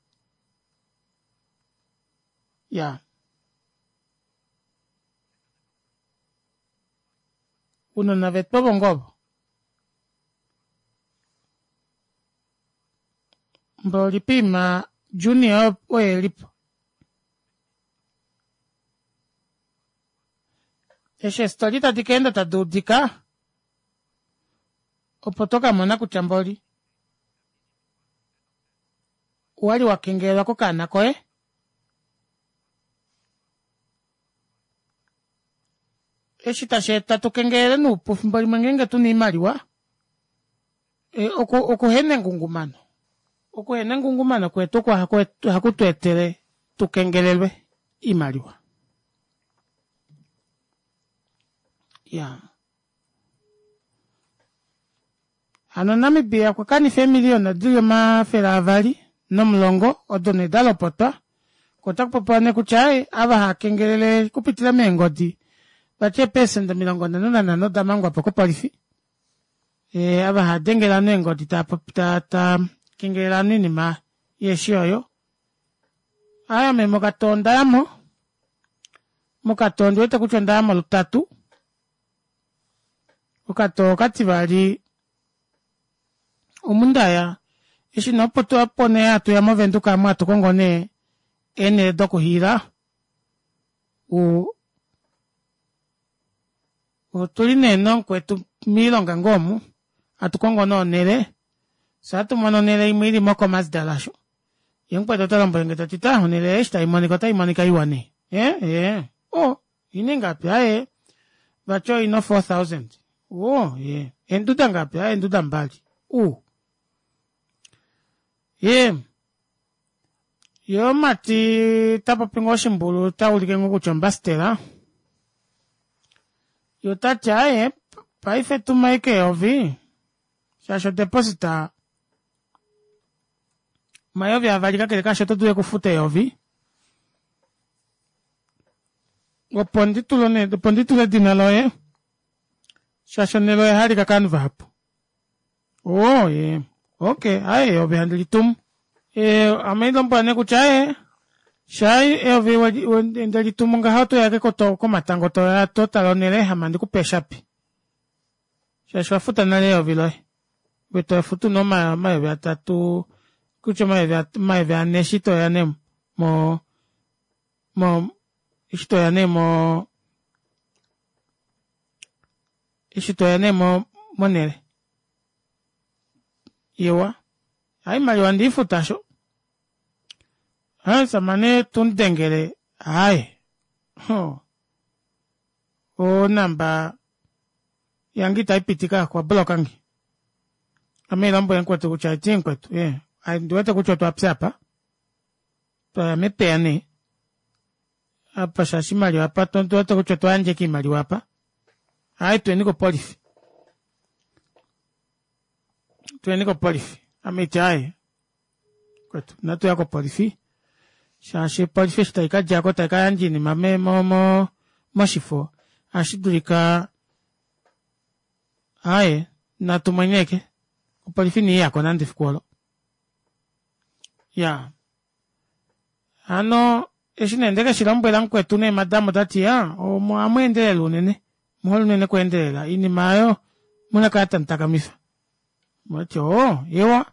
Iyaa. Ounona vetu ovo ngoo ovo. Mboli poima Junior oye elipo. Eshi eestori tadi kaenda tadi udika opo tokamona kutya mboli owali wakengelelwa kokaana koye eshi tashi eta tukengelele noupu fimbo limwe ngeenge tuna oimaliwa e, oku okuhena engungumano okuhena engungumano kwetu oko ohaku tu etele tukengelelwe oimaliwa ya hano Namibia okwa kanifa eemiliyona dili omafele avali nomulongo odo nee dalopotwa ko otakupopiwa nee kutya aaye ava haakengelele okupitila meengodi vati eepecent omilongo nhano nanhano damangwapo kopolifi ee ava haadengele ovanhu eengodi taapopi ta ta kengelele ovanhu oinima yeeshi oyo aaye ame mokatoo ondayamo mokatoo ondiwete kutya ondayamo lutatu okatoo okativali omundaya eshi nee opo opo nee hatuya movenduka amu hatu kongo nee eenele dokuhiila u otuli nee nomukwetu moilonga ngoo omu hatu kongo nee onele fyee ohatu mono onele imwe ili mokomasdal aasho yee mukwetu ota lombwelenge tati taa onele eshi taimonika otaimonika iwa nee ee ee oo oina ingapi aaye vati oina o four thousand oo ee eenduda ngapi aaye eenduda mbali uu yee yee omumati tapopi ngoo oshimbulu taulike ngoo kutya ombastela yee otati aaye paife tuma ashike eyovi shaashi odeposita omayovi avali kakele kaasho oto dulu okufuta eyovi opo ndi tule opo ndi tule edina loye shaashi onhele oya halika kovanhu vahapu oo ye okay aaye eyovi handi litumu ee ame lombwela nee kutya aaye shaa eyovi ndelitumu ngaha otoya ashike komatango toya totala onhele ame handi kupe eeshapi shaashi owafuta nale eyovi loye ove tofutu nee omayovi atatu kutya omayovi ane eshi toya nee mo mo eshi toya nee mo eshi toya nee mo monhele iwa haimaliwa ndiifuta sho omushamane tumudengele aaye ho onamba yange itaipitika okwa blokange ame lombwele mukwetu kutya eti mukwetu ee ondiwete kutya otwapya apa twaya mepeya nee apa shaashi oimaliwa apa ondiwete kutya otwa yandja ashike oimaliwa apa aaye tuyeni kopolifi tuyeni kopolifi ame iti aaye kwetu inatuya kopolifi shaashi opolifi eshi taikadjako taikayandja oinima me mo mo moshifo ohashi dulika aaye natu mweneke opolifi iniiyako nande efiku olo iyaa hano eshi nee ndekeshi lombwela mukwetu nee madam otati yaa ohamweendelele unene omuhole unene okweendelela oinima aayo omuna kala tamutakamifa ndati oo eewa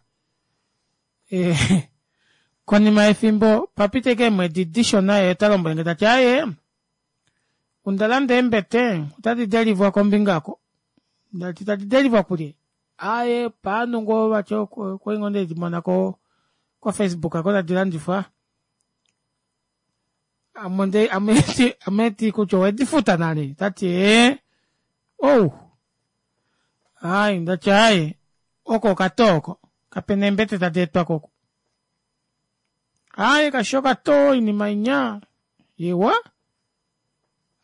Konima yefimbo papita ashike eemwedi dishona ye ota lombwelenge tati aaye onda landa eembete otadi delivwa kombinga oko. Ndati tadi delivwa kulye? Aaye paanhu ngoo vati okwali ngoo ndedimona ko ko Facebook oko tadi landifwa. Ame ame kutya owedifuta nale? Tati ee ou ai ndati aaye oko okatoo oko kapena eembete tadi etwako oku. Aaye kashishi okatoo oinima inya iwa.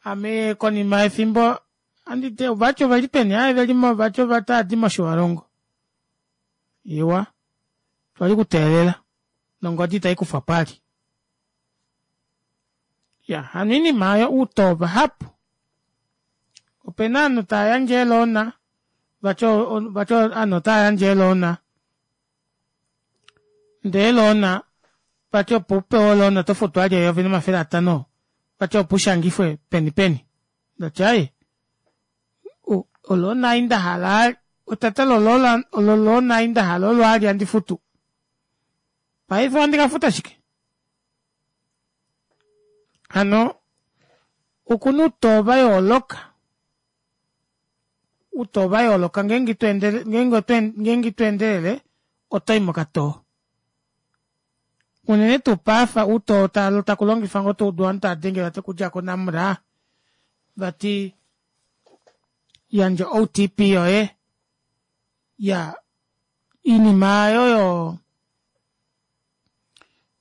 Ame konima yefimbo anditi vati oveli peni? Aaye velimo vati otaadi moshiwalongo. Iwa twali kuteelela nongodi itaikufwapo ali. Ya hano oinima aayo outoo vahapu. Opena ovanhu tavayandje eeloona vati vati ovanhu otavayandje eeloona ndee eeloona vati opo upewe oloona otofutu vali eyovi nomafele atano vati opo ushangifwe peni peni. Ndati aaye oloona ei ndahala etata loloona ei ndahala olo aali handi futu. Paife ohandi kafuta shike? Hano okuna outoo vayooloka outoo vayooloka ngeenge ngeenge itweendelele otoyi mokatoo. Unene tuu paife outoo takulongifwa ngoo taudu ovanhu tavadenge vati okudja ko Namra vati yandja O T P yoye iyaa oinima aayo oyo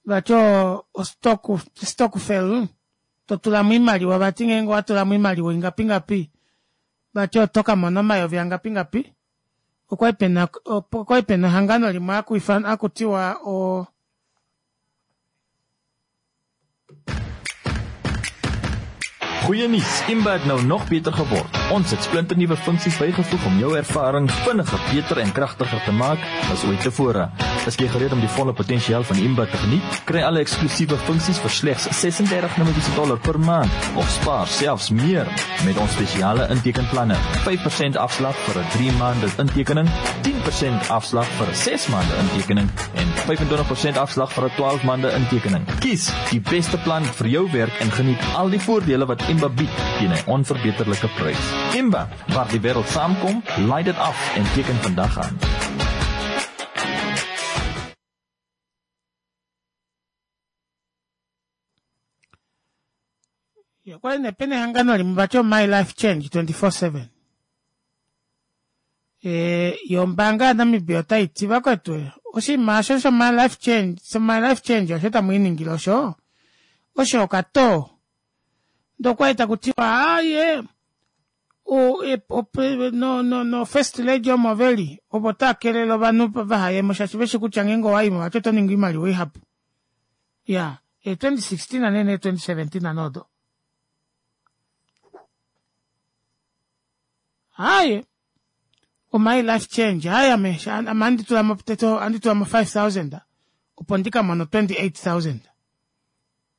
vati o stokvel totulamo oimaliwa vati ngeenge owatulamo oimaliwa ingapi ngapi vati otokamona omayovi angapi ngapi. Okwali pena okwali pena ehangano limwe hakutiwa o Goeie nuus, Imba het nou nog beter geword. Ons het splinternuwe funksies bygevoeg om jou ervaring vinniger, beter en kragtiger te maak as ooit tevore. Is jy gereed om die volle potensiaal van Imba te geniet? Kry alle eksklusiewe funksies vir slegs ses-en-dertig Namibiese dollar per maand of spaar selfs meer met ons spesiale intekenplanne. vyf persent afslag vir 'n drie maande intekening, tien persent afslag vir 'n ses maande intekening en vyf-en-twintig persent afslag vir 'n twaalf maande intekening. Kies die beste plan vir jou werk en geniet al die voordele wat Imba bied teen 'n onverbeterlike prys. Imba, waar die wêreld saamkom, laai dit af en teken vandag aan. Ja, okwali nee pena ehangano limwe vati o My Life Change twenty-four seven. E, yo ombaanga yaNamibia otai ti vakwetu oshinima osho sho My Life Change, sho My Life Change osho tamu iningile osho, osho okatoo. Ndokwali takutiwa aaye o, e, ope, no, no, no first lady omo veli opo takelele ovanhu vahayemo shaashi veshi kutya ngeenge owaimo vati oto ningi oimaliwa ihapu. Ya, e twenty sixteen nene twenty seventeen nodo. Aaye o My Life Change aaye ame ame andi tulamo teto andi tulamo five thousand opo ndikamono twenty-eight thousand.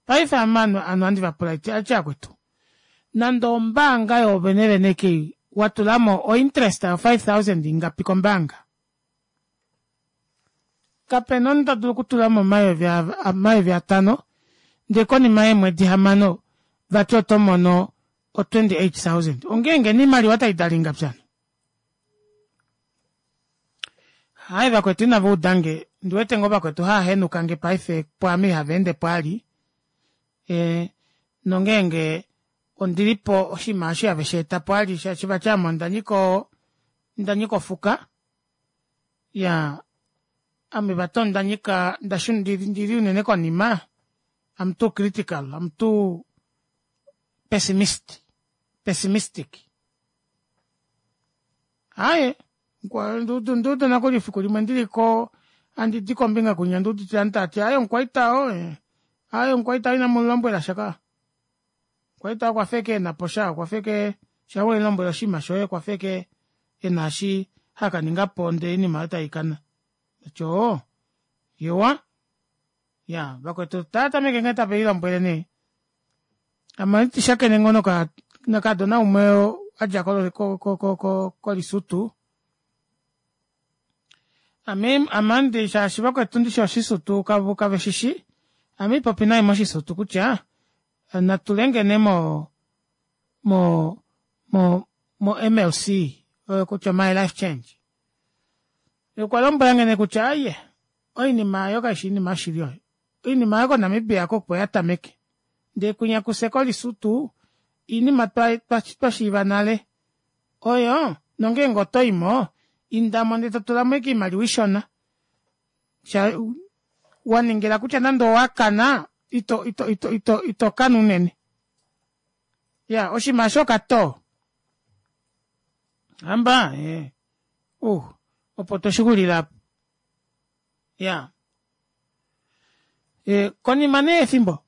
Paife ame anu anu andi vapula iti ache akwetu. Nande ombaanga yovenevene kei watulamo o interest yo five thousand ingapi kombaanga. Kapena omunhu ta dulu okutulamo omayovi omayovi atano ndee konima yeemwedi hamano vati oto mono o twenty-eight thousand. Ongeenge niimaliwa taidalinga pyano. Hai vakwetu inava udange, ndiwete ngoo vakwetu haahenukange paife pwaame ihava ende pwaali. E, nongeenge ondilipo oshinima osho have shi eta po ali shaashi vati ame onda nyika onda nyika ofuka. Ya ame vati onda nyika ndashu ndili unene konima. I'm too critical, I'm too pessimist, pessimistic. Aye, ndudu ndudu nakuli fiku limwe ndiliko andi di kombinga kunya ndudu tantati aye onkwaita o aye onkwaita ina mulombwela shaka. Kwaita kwa feke na posha kwa feke shawe lombwela shima shoye kwa feke enashi haka ninga ponde ini mata ikana. Cho yowa ya vakwetu tata meke ngeta pe ilombwele ne. Ama shakene ngono ka nakadona umwe adja ko ko ko ko ko Lesotho. Ame amandi shaashi vakwetu ndishi oshisutu kavo kaveshishi ame ipopi naye moshisutu kutya natulengene mo mo mo mo M L C oyo kutya my life change. Okwa lombwela ngene kutya aye oinima ayo kaishi inima yoshili oyo. Oinima ayo koNamibia oko ya tameke. Ndee kwinya kuseko lisutu inima twa twa shiiva nale. Oyo nongeenge otoimo indamo ndee totulamo ashike oimaliwa ishona. Sha waningila kutya nande owakana ito ito ito ito ito kana unene. Ya oshinima osho okato. Hamba eh uh opo toshixulila. Ya. E konima nee efimbo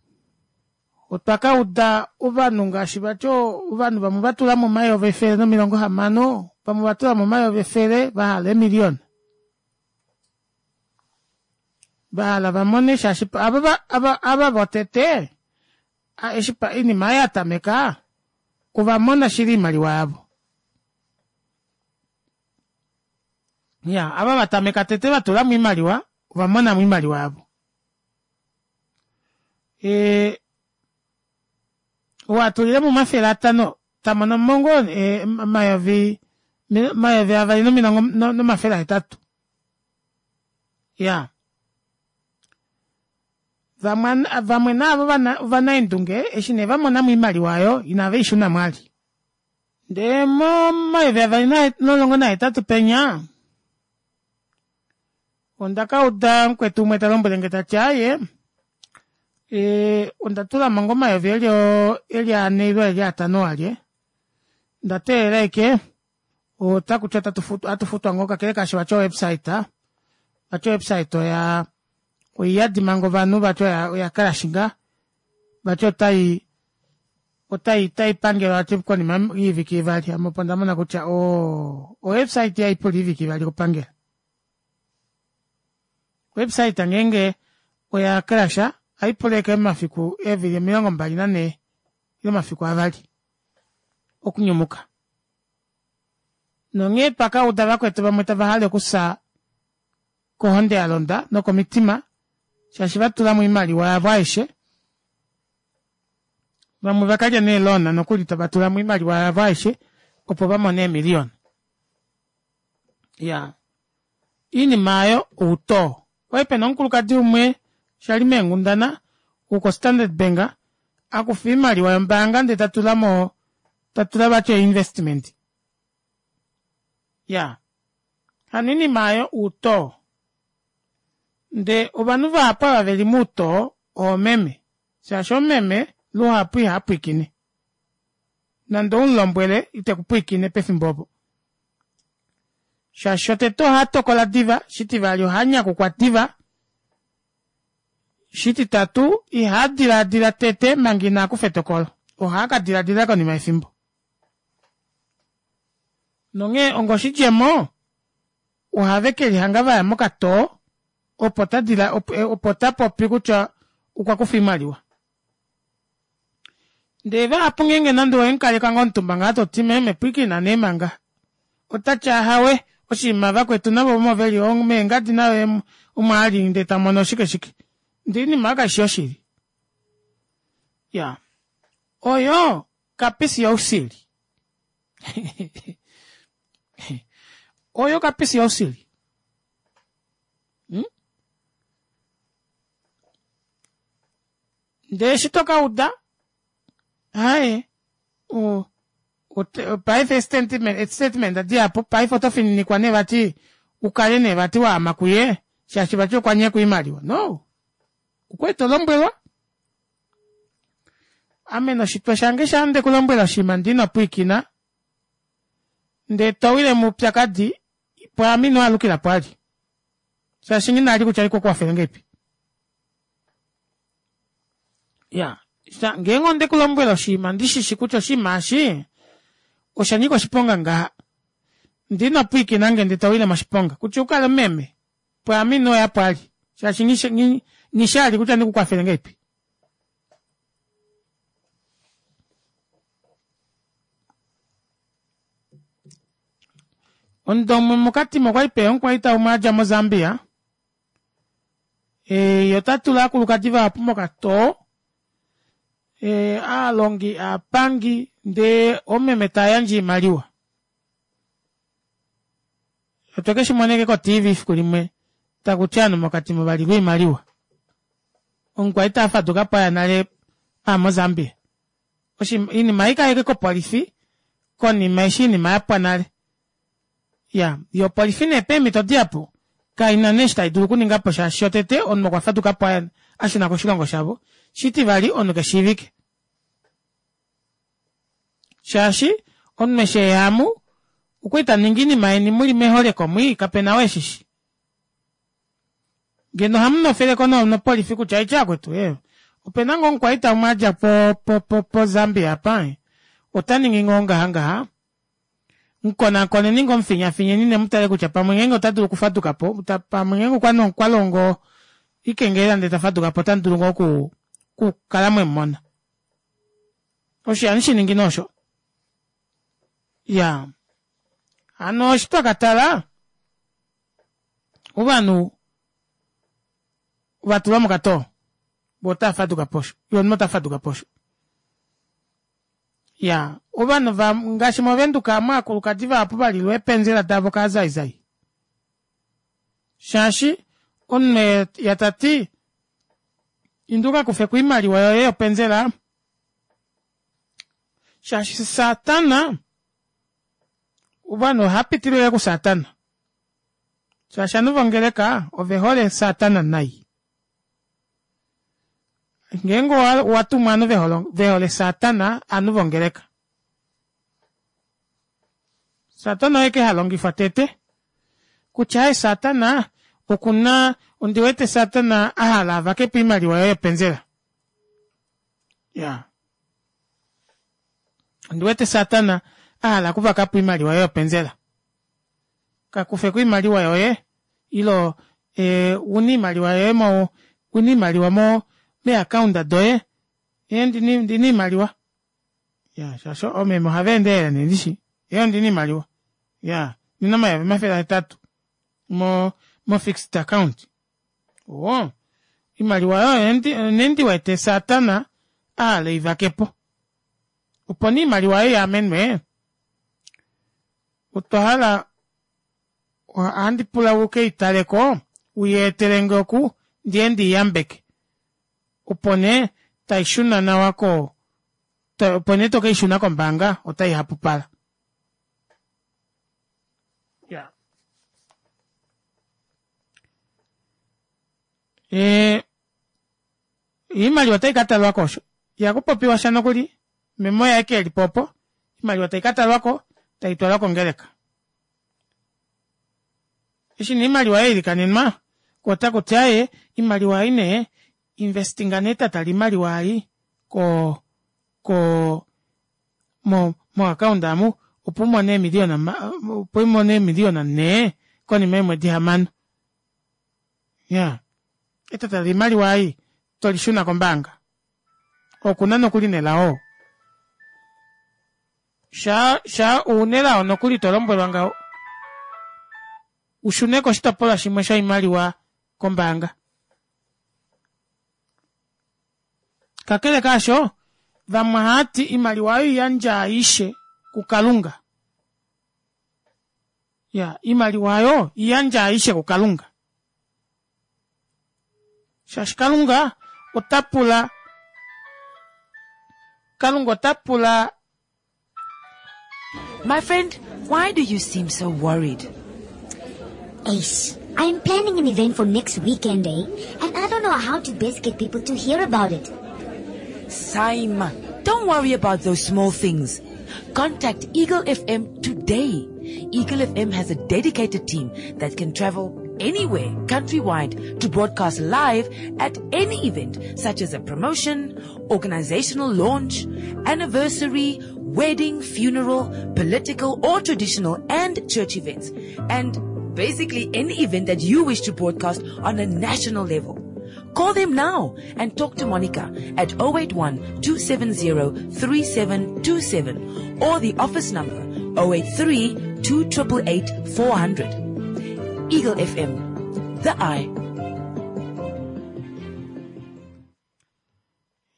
otwa kauda ovanhu ngaashi vati ovanhu vamwe vatula mo omayovi efele nomilongo hamano, vamwe vatula mo omayovi efele vahala eemiliona. Vahala vamone shaashi ava ava ava votete eshi oinima oyo yatameka ovamona shili oimaliwa yavo. Ya, ava vatameka tete vatulamo oimaliwa ovamonamo oimaliwa yavo. E watulilemo omafele atano tamono mongo omayovi omayovi avali nomilongo nomafele ahetatu. Ya vamwe vamwe naavo ovanaendunge eshi nee vamonamo oimaliwa aayo inave ishunamo ali. Ndee momayovi avali nomulongo nahetatu penya onda kauda mukwetu umwe talombwelenge tati aaye ee onda tulamo ngoo omayovi eli eli ane ile eli atano alye onda teelela ashike otakuti ohatufutwa ngoo kakele kaasho vati o website vati o website oya oiyadi manga ovanhu vati oya crashinga vati otai otai otai pangelwa vati konima yoivike ivali. Ame opo ndamona kutya oo o website ihaipula oivike ivali okupangela. Website ngeenge oya crasha ohaipula ashike omafiku eevili omilongo mbali nanhee ile omafiku avali okunyumuka. Nonghee twakauda vakwetu vamwe tava hale okufya kohonde yalonda nokomitima shaashi vatulamo oimaliwa yavo aishe. Vamwe vakalya neelona nokuli tava tulamo oimaliwa yavo aishe opo vamone eemiliona. Ya iinima aayo outoo. Okwali pena omukulukadi umwe shali meenghundana woko Standard Bank akufa oimaliwa yombaanga ndee tatulamo tatula vati investment. Ya hano oinima aayo outoo. Ndee ovanhu vahapu ava veli muutoo oomeme. Shaashi omeme luhapu ihapwiikine. Nande oumulombwele itekupwiikine pefimbo opo. Shaashi shotete ohatokola diva, shitivali ohanyakukwa diva, shititatu ihadilaadila tete manga inakufa etokolo. Ohakadilaadila konima yefimbo. Nonghee onga oshidjemo ohave kelihanga vaya mokatoo opo tadila opo tapopi kutya okwa kufa oimaliwa. Ndee vahapu ngeenge nande owemukaleka ngoo omutumba ngaho toti meme pwiikina nee manga. Otati ahawe oshinima vakwetu navo omo veli meengadi nayo omo ali ndee tamono shike shike. Ndee oinima oyo kaishi yoshili. Ya oyo kapisi yousili. Oyo kapisi yousili. Hmm? Ndee eshi tokauda aye o paife statement statement dihapu paife oto fininikwa nee vati ukale nee vati waama kuye shaashi vati okwa nyeka oimaliwa. No. Okwali tolombwelwa. Ame noshitwe shange sha ndekulombwela oshinima ndee ino pwiikina ndee towile moupyakadi pwaame ino alukila po ali. Shaashi nghina kutya ikukwafele ngahelipi. Ya ngeenge ondekulombwela oshinima ndishishi kutya oshinima eshi osha nyika oshiponga ngaha. Ndee ino pwiikina nge ndee towile moshiponga. Kutya ukale meme pwaame inoya po ali. Shaashi nghishali kutya ndikukwafele ngahelipi. Omudo umwe mokatima okwali peya omukwaita umwe adja moZambia. E, ota tula aakulukadi vahapu mokatoo. E, aalongi, aapangi, ndee oomeme tayandje oimaliwa. Otwe keshimoneke ko T V efiku limwe takuti ovanhu mokatima valilwa oimaliwa. Omukwaita afadukapo aya nale a moZambia. Oinima ei kaike kopolifi konima eshi oinima yapwa nale. Ya, yo opolifi nee peemhito dihapu kaina nee eshi tai dulu okuningapo shaashi shotete omunhu okwa fadukapo aya ashuna koshilongo shavo. Shitivali omunhu keshiivike. Shaashi omunhu eshi eyamu okwali taningi oinima yeni muli meholeko mwii kapena oo eshishi. Ngeno ohamu nofeleko nopolifi kutya aitya akwetu eh opena ngoo omukwaita umwe adja po po po po Zambia apa ota ningi ngoo ngaha ngaha. Mukonakoneni ngoo mufinyafinyeni nemutale kutya pamwe ngeenge ota dulu okufadukapo, pamwe ngeenge okwa longo ikengelela ndele tafadukapo ota dulu ngoo oku kukala mwemumona. Osho ihandi shi ningi nosho. Ya. Hano eshi twakatala ovanhu vatulwa mokatoo vo otava fadukapo osho ye omunhu ota fadukapo osho. Ya, ovanhu va ngaashi moVenduka amu aakulukadi vahapu valilwa eepenzela davo kaazaizai. Shaashi omunhu yatati inda ukakufeko oimaliwa yoye yopenzela shaashi Satana ovanhu ohapitilile kuSatana. Shaashi ovanhu vongeleka ove hole Satana nai. Ngeenge owatumwa ovanhu vehole Satana ovanhu vongeleka. Satana oye ke halongifwa tete. Kutya aye Satana okuna ondiwete Satana ahala avakepo oimaliwa yoye yopenzela. Ya. Ondiwete Satana ahala okuvakapo oimaliwa yoye yopenzela. Kakufeko oimaliwa yoye ilo e, una oimaliwa yoye mo una oimaliwa mo meakaunda doye ee ndina ndina oimaliwa. Ya, shaashi oomeme ohava endelele nee ndishi. Ee ondina oimaliwa. Ya, ndina omayovi omafele ahetatu mo mo fixed account. Oo, oimaliwa yoye nee ndiwete Satana ahala eivakepo. Opo nee oimaliwa yoye yaamenwe otwa hala ohandi pula ukeitaleko uyeetelenge oku ndiye ndiiyambeke. Opo nee taishuna nawa ko opo nee tokeishuna kombaanga otai hapupala. Ya. Ee oimaliwa otai katalwako osho. Ihakupopiwa sha nokuli memo yaye kelipo opo oimaliwa tai katalwako taitwalwa kongeleka. Eshi nee oimaliwa yailikanenwa otakuti aaye oimaliwa ei nee investinga nee etata loimaliwa ei ko ko mo mo account amu opo umone eemiliona opo umone eemiliona nhee konima yeemwedi hamano. Ya. Etata loimaliwa ei tolishuna kombaanga. Okuna nokuli nelao. Sha sha unelao nokuli tolombwelwa ngaho ushune koshitopolwa shimwe shoimaliwa kombaanga. Kakele kaasho vamwe ohati oimaliwa oyo iyandja aishe kuKalunga. Ya, oimaliwa oyo iyandja aishe kuKalunga. Shaashi Kalunga ota pula Kalunga ota pula My friend, why do you seem so worried? Ace, I'm planning an event for next weekend, eh? And I don't know how to best get people to hear about it. Saima, don't worry about those small things. Contact Eagle F M today. Eagle F M has a dedicated team that can travel anywhere countrywide to broadcast live at any event such as a promotion, organizational launch, anniversary, wedding, funeral, political or traditional and church events, and basically any event that you wish to broadcast on a national level. Call them now and talk to Monica at oh eight one, two seven zero, three seven two seven or the office number oh eight three, two triple eight four hundred. Eagle F M, the eye.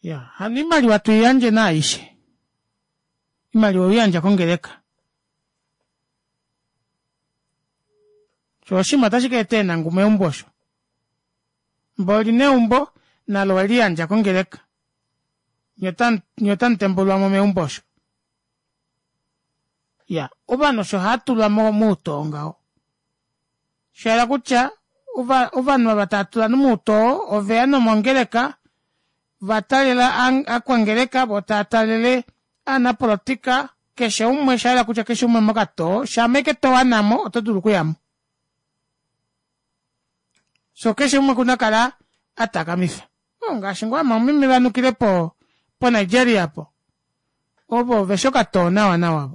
Ya, hano imaliwa tuiyandje naaishe. Imaliwa oiyandja kongeleka. Sho oshima otashi ka eta eenangu meumbo osho. Mboli neumbo nalo weliyandja kongeleka. Nye otamu tembulwa mo meumbo osho. Ya, ovanhu osho haatulwa moutoo ngaho. Shaela kutya ovanhu ava tava tula nomoutoo oveya nomongeleka vatalela akwangeleka vo tava talele aanapolitika keshe umwe shaela kutya keshe umwe mokatoo shaameke towanamo oto dulu okuyamo. So keshe umwe kuna kala atakamifa. Ngaashi ngoo amamime vanukile po po Nigeria po. Ovo vesho katoo nawa nawa.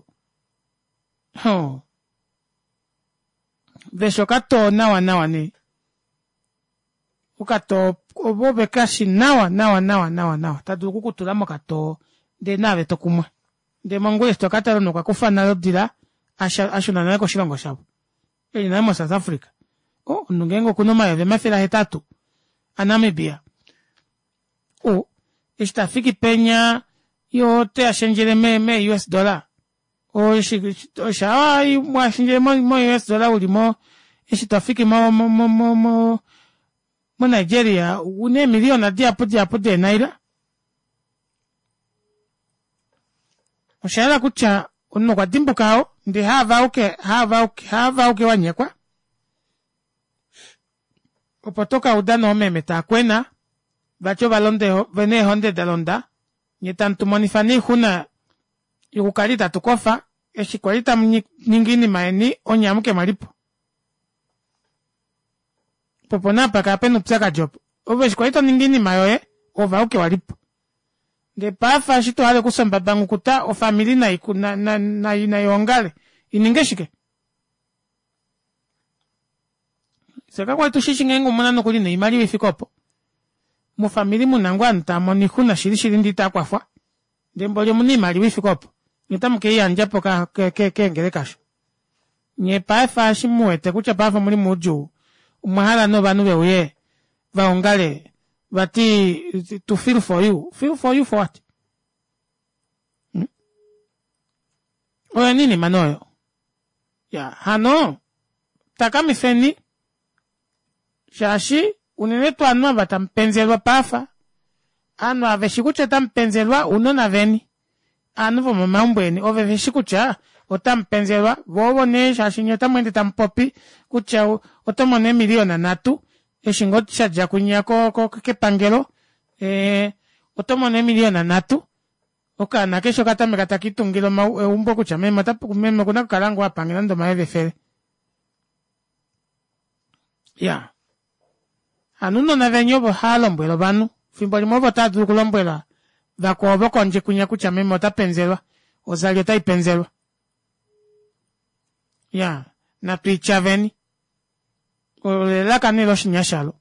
Ho. Vesho katoo nawa nawa ne. Okatoo ovo vekashi nawa nawa nawa nawa nawa. Tadulu kukutula mokatoo ndee naave tokumwa. Ndee mongula tokatala nokakufa nalo dila ashuna nale koshilongo shavo. Eli nale mo South Africa. Oh, omunhu ngeenge okuna omayovi omafele ahetatu aNamibia. O, eshi tafiki penya yo te ashendjele me, me U S dollar. O, eshi, osha, ashendjele mo, mo U S dollar uli mo, eshi tafiki mo, mo, mo, mo, mo, mo Nigeria, une miliona diapo diapo de naira. Osha yela kutya, omunhu okwa dimbuka ao, ndi haava uke, haava uke, haava uke wanyekwa. Opo toka uda noomeme taakwena, vati ovalonde vene eehonde da londa, nye tamu tumonifa noixuna yokukala itatu kofa, eshi kwali tamu ningi oinima yeni, onye amuke mwalipo. Popo naapa kapena oupyakadi opo. Ove eshi kwali toningi oinima yoye, ove auke walipo. Ndee paife eshi tohale okusomba bangukuta, ofamili nai nai naiongale. Ininge shike? Seka kwali tushishi ngeenge omuna nokuli noimaliwa ifike opo. Mofamili muna ngoo ovanhu tava mono oixuna shili shili ndee itakwafwa. Ndee mboli omuna oimaliwa ifike opo. Nye otamu keiyandja po keengeleka osho. Nye paife eshi muwete kutya paife omuli moudjuu, omwa hala novanhu veuye vaongale vati to feel for you. Feel for you for what? Hmm? Oyo nini manoyo? Ya, hano takamifeni shaashi unene tuu ovanhu ava tamupenzelwa paafa, ovanhu ava veshi kutya otamupenzelwa ounona veni, ovanhu vomomaumbo eni ove veshi kutya otamupenzelwa, vo ovo nee shaashi nye otamu ende tamupopi kutya oto mono eemiliyona nhatu eshi ngoo shadja kunya kepangelo, ee oto mono eemiliyona nhatu, okaana keshe okatameka takitungile eumbo kutya meme meme okuna okukala ngoo apange nande omayovi efele. Ya. Hano ounona veni ovo haalombwela ovanhu. Fimbo limwe ovo otava dulu okulombwela vakwao vokondje kwinya kutya meme ota penzelwa. Ozali otai penzelwa. Ya. Natwiityaveni. Olelaka nee loshinyashalo.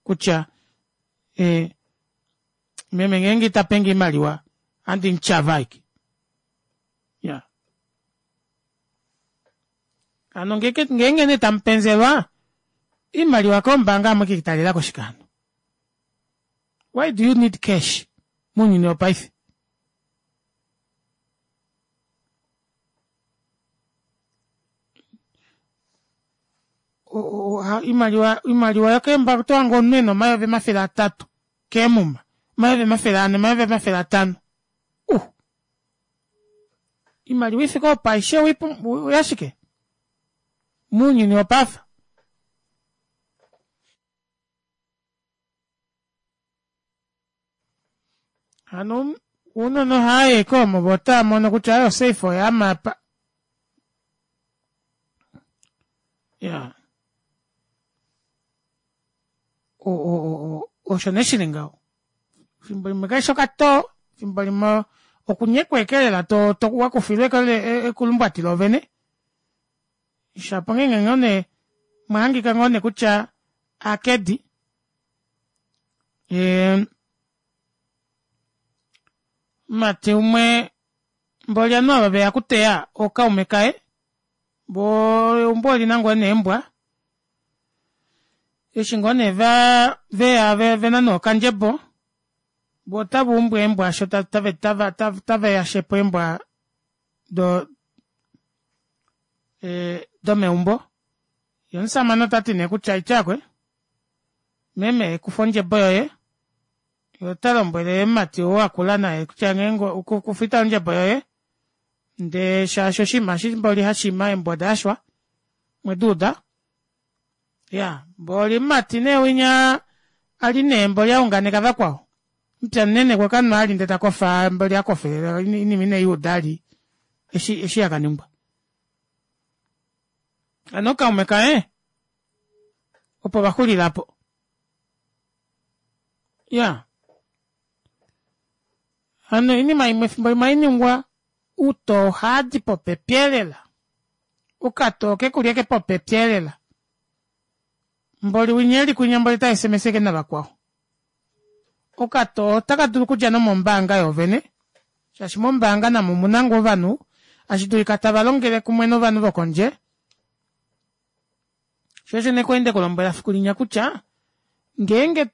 Kutya, e, meme ngeenge itapenge oimaliwa, andi mutyava aike. Ya. Hano ngeenge nee tamupenzelwa, imaliwa kombaanga amwe kitalela koshikano. Why do you need cash? Mounyuni wopaife. Imaliwa imaliwa yokeembaanga oto hange omunhu ena omayovi omafele atatu keemuma, omayovi omafele ane, omayovi omafele atano. Uh. Imaliwa ifike opo aishe oyashike? Mounyuni wopaife. Hano ounona ohaayi koomo vo otava mono kutya ayo safe oyaama apa. Ya. O o o osho nee shili ngaho. Fimbo limwe kaishi okatoo, fimbo limwe okunyekwa eke lela to to wakufilwa eke ekulumbwati loovene. Shapo ngeenge ngoo nee mwahangika ngoo nee kutya akedi. Ee mati umwe mboli ovanhu ava veya okuteya ookaume kaye Bo eumbo olina ngoo neembwa eshi ngoo nee vaa veya vena nee okandjebo voo otavaumbu eembwa aasho tava tava tava yashepo eembwa do ee domeumbo yee omushamane otati nee kutya aitye aakwee meme kufa ondjebo yoye yee otalombwele mumati ou akula naye kutya ngeenge kufa ondjebo yoye ndee shaashi oshinima eshi mboli hashiima eembwa odayashwa omweduuda iyaa mboli mumati nee winya ali nee mboli aunganeka vakwao mupya munene okwakanwa vali ndee takofa mboli akofelele oinima ineyuuda vali eshi eshi yakaningwa hano ookaume kaye opo vaxulila aapo iyaa hano oinima imwe efimbo limwe ohainingwa outoo ohaadi popepi elela okatoo kekuli ashike popepi elela mboli winya eli kwinya mboli ota sms ashike navakwao okatoo ota kadulu okudja nomombaanga yoovene shaashi mombaanga namo omuna ngoo ovanhu ashidulika tavalongele kumwe novanhu vokondje shoo osho nee kwali ndekulombwela efiku linya kutya ngeenge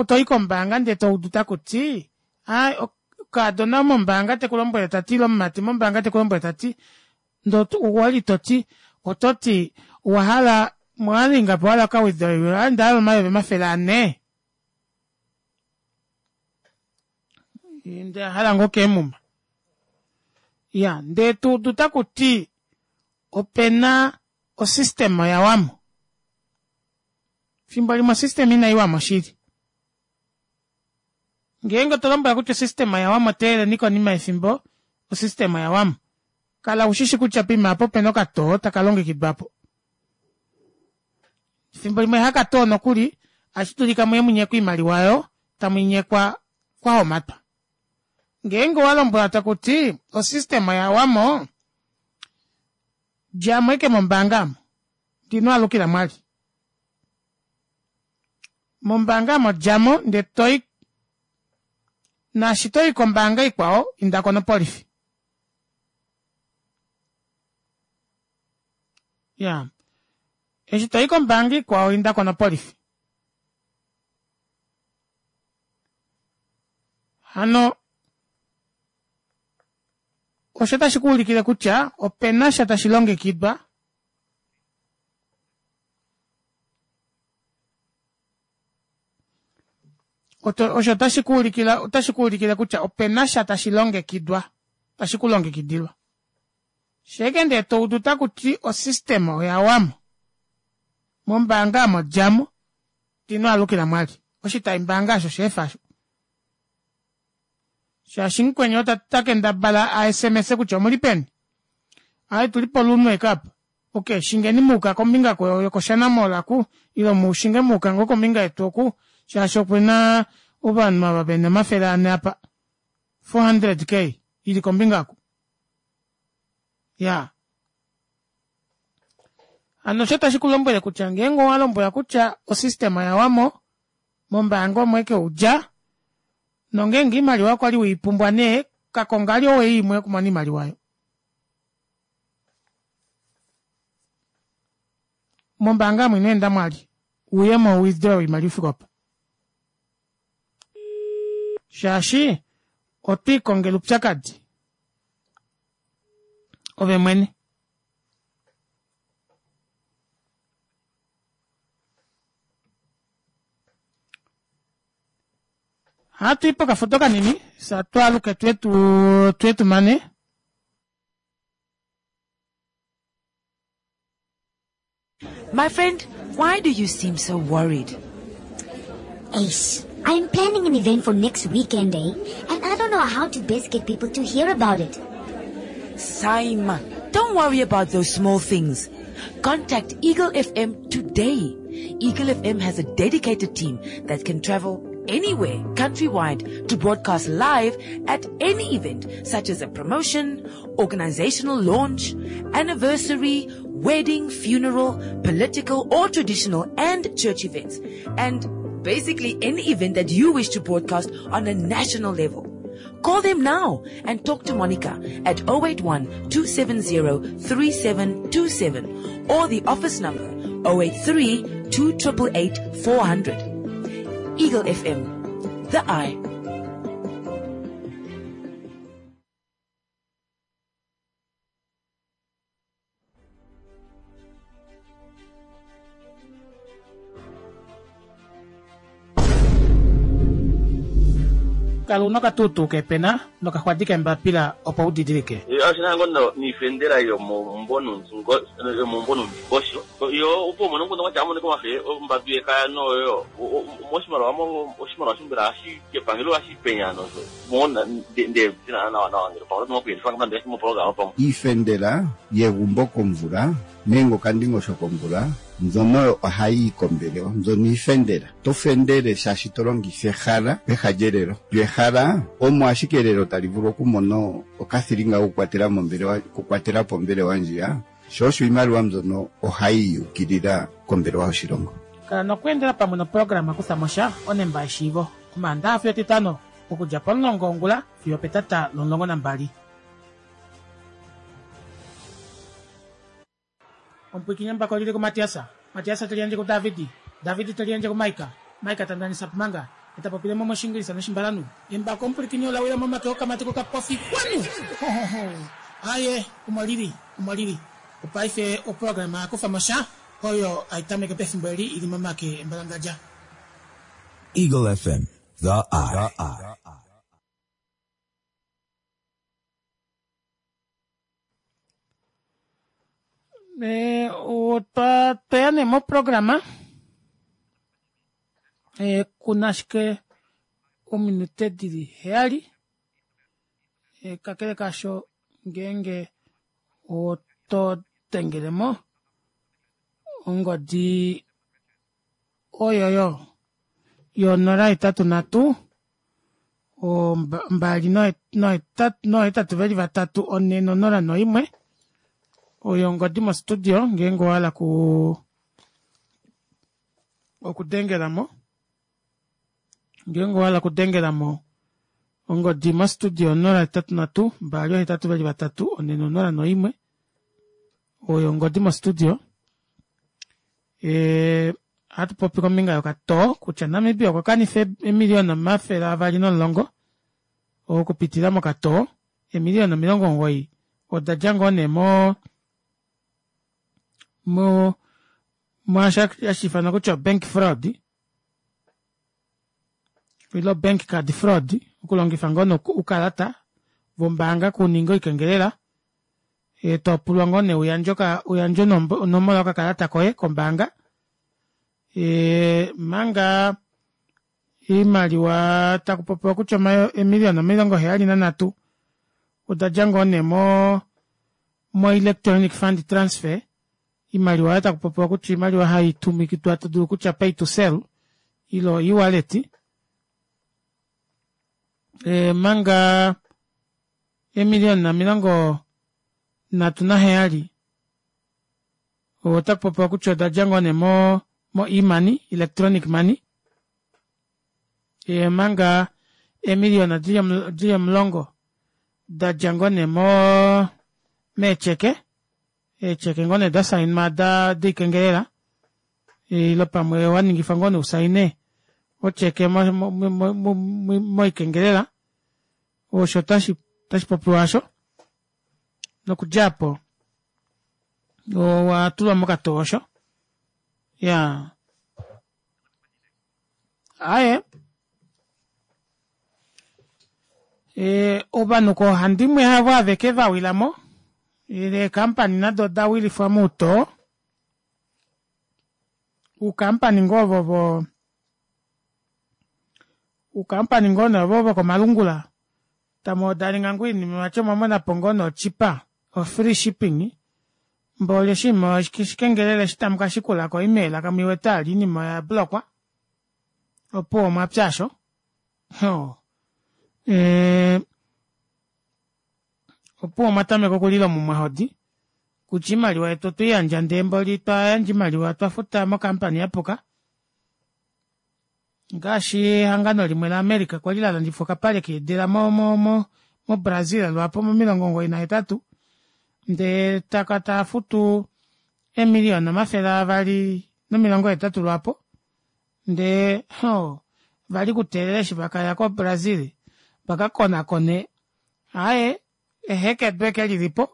toyi kombaanga ndee toudu takuti aaye okaadona mombaanga tekulombwele tati ile omumati mombaanga tekulombwele tati ndee owali toti ototi owahala omwali ingapi wahala oka withdrawal aaye ondahala omayovi omafele anhe ondahala ngoo keemuma iyaa ndee tuudu takuti opena o system yawamo efimbo limwe o system inaiwamo shili ngeenge otolombwelwa kutya o system oyawamo teeleleni konima yefimbo o system oyawamo kala ushishi kutya poima aapo opena okatoo takalongekidwapo efimbo limwe hakatoo nokuli ashidulika muye munyekwe oimaliwa aayo tamuinyekwa kwahomatwa ngeenge owalombwelwa takuti o system oyawamo djamo ashike mombaanga aamo ndee inwaalukilamo vali mombaanga aamo djamo ndee toyi naashi toyi kombaanga ikwao indako nopolifi iyaa eshi toyi kombaanga ikwao indako nopolifi hano osho otashi kuulikile kutya openasha tashi longekidwa osho otashi kuulikile otashi kuulikile kutya openasha tashi longekidwa tashi kulongekidilwa sheeke ndee toudu takuti o system oyawamo mombaanga aamo djamo ndee inwaalukilamo vali oshitayi mbaanga aasho sheefa aasho shaashi mukweni otakendabala a sms kutya omuli peni aaye otuli poluno ashike aapa okey shingeni muuka kombinga yokoshana mall oku ile mushinge muuka ngoo kombinga yetu oku shaashi opena ovanhu ava vena omafele anhe apa four hundred k ili kombinga oku iyaa hano osho tashi kulombwele kutya ngeenge owalombwelwa kutya o system oyawamo mombaanga omo ashike udja nongeenge oimaliwa okwali weipumbwa nee kakonga vali oway imwe yokumona oimaliwa aayo mombaanga aamo inweendamo vali uyemo u withdraw oimaliwa ifike opo shaashi otwiikongele oupyakadi ove mwene Ohatuyi pokafudo kanini fye twaaluke tuye tumane. My friend, why do you seem so worried? Ace, I'm planning an event for next weekend, eh? And I don't know how to best get people to hear about it. Saima, don't worry about those small things. Contact Eagle F M today. Eagle F M has a dedicated team that can travel anywhere countrywide to broadcast live at any event such as a promotion, organizational launch, anniversary, wedding, funeral, political or traditional and church events, and basically any event that you wish to broadcast on a national level. Call them now and talk to Monica at oh eight one, two seven zero, three seven two seven or the office number oh eight three, two triple eight, four hundred. Eagle F M, the eye. Kala una okatutu kepena nokaxwadi kembapila opo u didilike. Oshina ngono niifendela yomomumbo nomundingosho. Yo opo umone ngono kwatya amone komafe ombadu yekaya noyo moshimaliwa oshimaliwa shimbela hashi kepangelo hashi penya nozo. Mona nde tina nawa nawa ngelo pamwe noku yelifa ngamba ndesi mo program pamwe. Iifendela yegumbo komvula nenge okandingosho komvula mbyono ohayi yi kombelewa, mbyono iifendela. To fendele shaashi to longitha ehala peha lyelelo. Lyo ehala omo ashike elelo tali vulu okumona okathilinga kokukwatela mombelewa, okukwatela po ombelewa ndjiya. Sho osho iimaliwa mbyono ohayi yukilila kombelewa yoshilongo. Kala nokweendela pamwe noprograma kutha mo sha onemba yeshiivo. Omaandaxa fiyo Etitano okudja pomulongo wongula fiyo petata lomulongo nambali. Omupwikinyi embako lili kuMatiasa. Matiasa te liyandje kuDavidi. Davidi te liyandje kuMaika. Maika ta ndanisa pumanga. Eta popile mo moshingilisa noshimbalanu. Embako omupwikinyi ola wila momake okamati kokapofi. Kwanu! Ho, ho, ho. Aye, omo lili, omo lili. Opaife oprograma ya kufa mo sha oyo ai tameke pefimbo eli ili momake embalangadja. Eagle F M, the eye. Eh, otwa tweya nee moprograma. Eh, kuna ashike ominute dili heyali. Eh, kakele kasho ngeenge oto dengele mo ongodi oyoyo yonola hetatu nhatu, omba-, mbali nohetatu, nohetatu veli vatatu, one nonola noimwe. Oyo ongodi mo studio ngeenge owa hala ku okudengela mo. Ngeenge owa hala okudengela mo ongodi mo studio onola hetatu nhatu, mbali ohetatu veli vatatu, one nonola noimwe. Oyo ongodi mo studio. Eh, ohatu popi kombinga yokatoo kutya Namibia okwa kanifa emiliyona omafele avali nomulongo okupitila mokatoo. Emiliyona omilongo omugoyi oda dja ngoo nee mo, mo, mwaasho hashi ifanwa kutya bank fraud ilo bank card fraud, okulongifa ngoo nee ukalata vombaanga kuninga oikengelela. E, to pulwa ngoo nee uyandje oka-, uyandje onombo-, onomola yokakalata koye kombaanga. E, manga iimaliwa taku popiwa kutya omayo-, emiliyona omilongo heyali nanhatu oda dja ngoo nee mo, mo electronic fund transfer. Iimaliwa oyo taku popiwa kutya iimaliwa hai tumikidwa to dulu kutya pay to sell ilo e-wallet. E, manga emiliyona omilongo nhatu naheyali otaku popiwa kutya oda dja ngoo nee mo, mo e-money, electronic money. E, manga emiliyona dili omul-, dili omulongo da dja ngoo nee mo, meecheke. Eecheke ngoo nee da sainwa da, dikengelela. Ilo pamwe wa ningifa ngoo nee usaine ocheke mo, mo, mo, mo, mo, mo, moikengelela. Osho tashi, tashi popiwa asho. Nokudja apo, owa tulwa mokatoo osho. Ya. Aye. E, ovanhu koohandimwe havo aveke va wila mo. Ile eekampani nado oda wilifwa moutoo. Uukampani ngoo vovo, uukampani ngoo nee ovo vokomalungula. Tamu odalinga ngoo oinima vati omwa mona po ngoo nee ochipa, o free shipping. Mboli oshinima oshikengelele eshi tamu ka shikula ko email kamu iwete ali oinima oya blokwa. Opo omwa pya asho. Ho. E, opo omwa tameka okulila omumwahodi. Kutya iimaliwa yetu otwe i yandja ndee mboli twa yandja iimaliwa twa futa mokampani ya puka. Ngaashi ehangano limwe laAmerica kwali lalandifa okapale keedila mo mo mo moBrazil lwaapo momilongo omugoyi nahetatu ndee taka taafutu eemiliyona omafele avali nomilongo hetatu lwaapo ndee hoo vali kuteelela eshi vakaya ko brazil vakakonakone aaye ehekedu ashike lilipo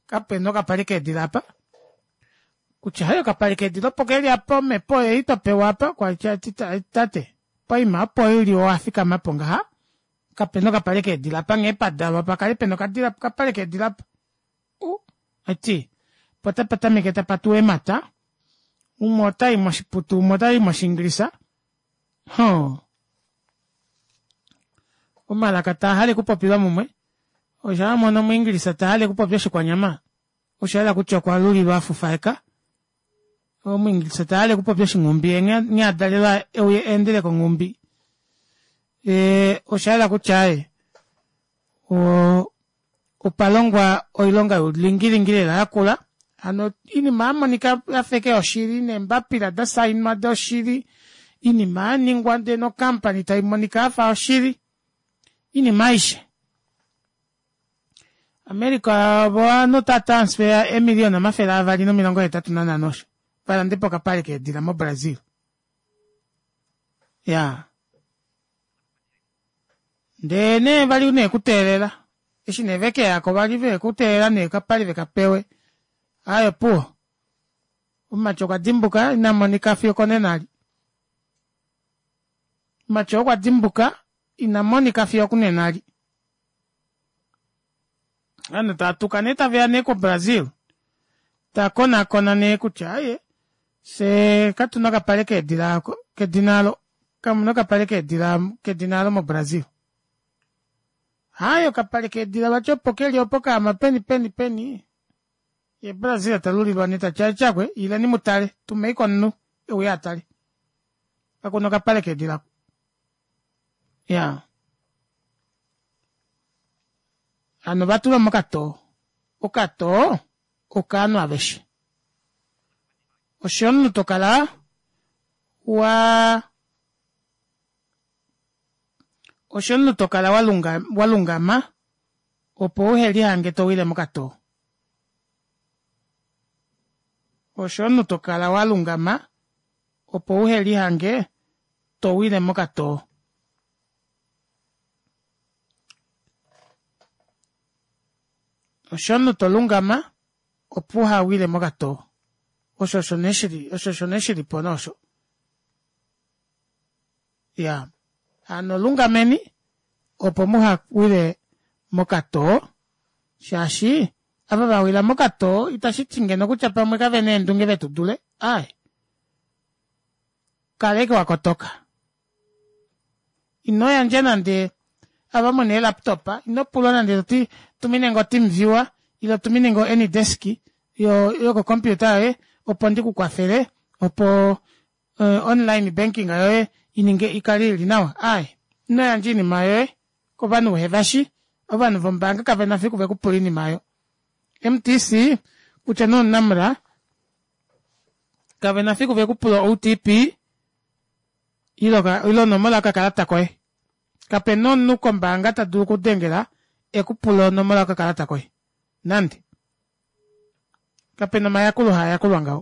kapena okapale keedila aapa kutya aaye okapale keedila opo keli aapa omepo oyeyi twapewa aapa tate poima opo uli wafikamapo ngaha kapena okapale keedila apa nghee padalwa pakale pena okapale keedila aapa uu aiti poo otapatameke tapa tuwa eemata umwe otayi moshiputu umwe otayi moshingilisa hoo omalaka taahale okupopilwa mumwe osho wamono omwiingilisa tahale okupopya oshikwanyama oshayela kutya okwalulilwa afufaeka omwiingilisa tahale okupopya oshinghumbi yee nghee adalelwa euye eendele konghumbi ee oshayela kutya aaye oo opalongwa oilonga youlingilingi lela yakula hano oinima yamonika yafa ashike yoshili neembapila dasainwa doshili oinima yaningwa ndee no company taimonika yafa yoshili oinima aishe America ovanhu ota transfer eemiliyona omafele avali nomilongo hetatu nanhano osho valandepo okapale keedila mo Brazil iyaa ndee nee vali nee kuteelela eshi nee vekeyako vali vekuteelela nee okapale vekapewe aaye opuwo omumati okwa dimbuka inamonika fiyo okonena eli omumati oo okwa dimbuka inamonika fiyo okunena eli ovanhu taatuka nee taveya nee ko brazil takonakona nee kutya aaye fyee katuna okapale keedila kedina olo kamuna okapale keedila kedina olo mo brazil aaye okapale keedila vati opo keli opo kaama peni peni peni ye brazil talulilwa nee tati atyakwe ileni mutale tumeiko omunhu euye atale kakuna okapale keedila iyaa hano ovatulwa mokatoo okatoo okaanhu aveshe osho omunhu tokala waa osho omunhu tokala walungama opo uhelihange towile mokatoo osho omunhu tokala walungama opo uhelihange towile mokatoo osho omunhu tolungama opo uhawile mokatoo osho osho nee shili osho osho nee shilipo nee osho iyaa hano lungameni opo muhawile mokatoo shaashi ava vawila mokatoo itashiti ngeno kutya pamwe kavena eendunge vetudule aaye kala ashike wakotoka ino yandja nande ava muna ee laptop ino pulwa nande toti tuminenge o team viewer ile tuminenge o anydesk yoko computer yoye opo ndikukwafele opo online banking yoye ininge ikale ili nawa aaye ino yandja oinima yoye kovanhu uhevashi ovanhu vombaanga kavena fiku vekupule oinima aayo M_T_C kutya nee omunamra kavena fiku vekupula o O_T_P ile onomola yokakalata koye kapena omunhu kombaanga tadulu okudengela ekupule onomola yokakalata koye nande kapena omayakulo haayakulwa ngaho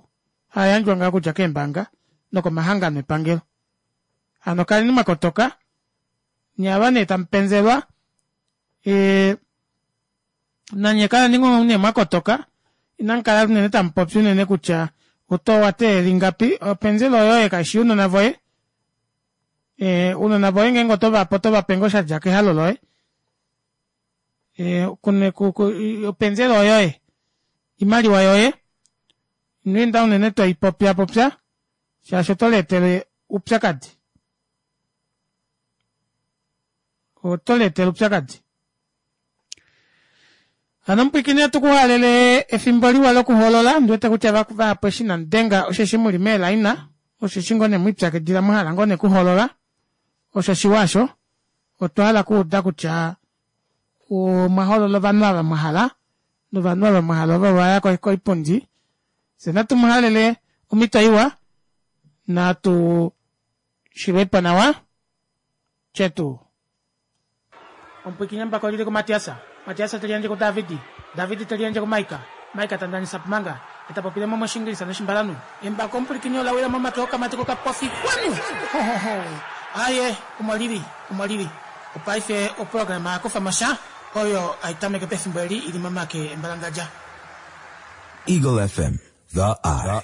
haayandjwa ngaho okudja keembaanga nokomahangano epangelo hano kaleni mwakotoka nyee ava nee tamupenzelwa ee nanye kaleni ngoo nee mwakotoka inamukala unene tamupopi unene kutya oto owateelela ingapi openzela oyoye kaishi younona voye ee ounona voye ngeenge otovape otovape ngoo shadja kehalo loye ee openzela oyoye oimaliwa yoye ino enda unene toipopyapopya shaashi oto leetele oupyakadi oto leetele oupyakadi hano omupwiikini otukuhalele efimbo liwa lokuhoolola ondiwete kutya vahapu eshi inamudenga osheshi muli meelaina osheshi ngoo nee mwipyakidila mwahala ngoo nee okuhoolola osho shiwa aasho otwa hala okuuda kutya omwa hoolola ovanhu ava mwahala novanhu ava mwahala ovo vaya koipundi fye natu muhalele omhito iwa natu shilwepo nawa Chetu. Omupwiikini embako lili kuMatiasa. Matiasa te liyandje kuDavidi. Davidi te liyandje kuMaika. Maika ta ndanisa pumanga. Eta popile mo moshingilisa noshimbalanhu. Embako omupwilikini ola wila momake okamati kokapofi. Kwanu! Ho, ho, ho. Aye, omo lili. Omo lili. Opaife oprograma ya kufa mo sha oyo ai tameke pefimbo eli ili momake embalangadja. Eagle F M, the eye.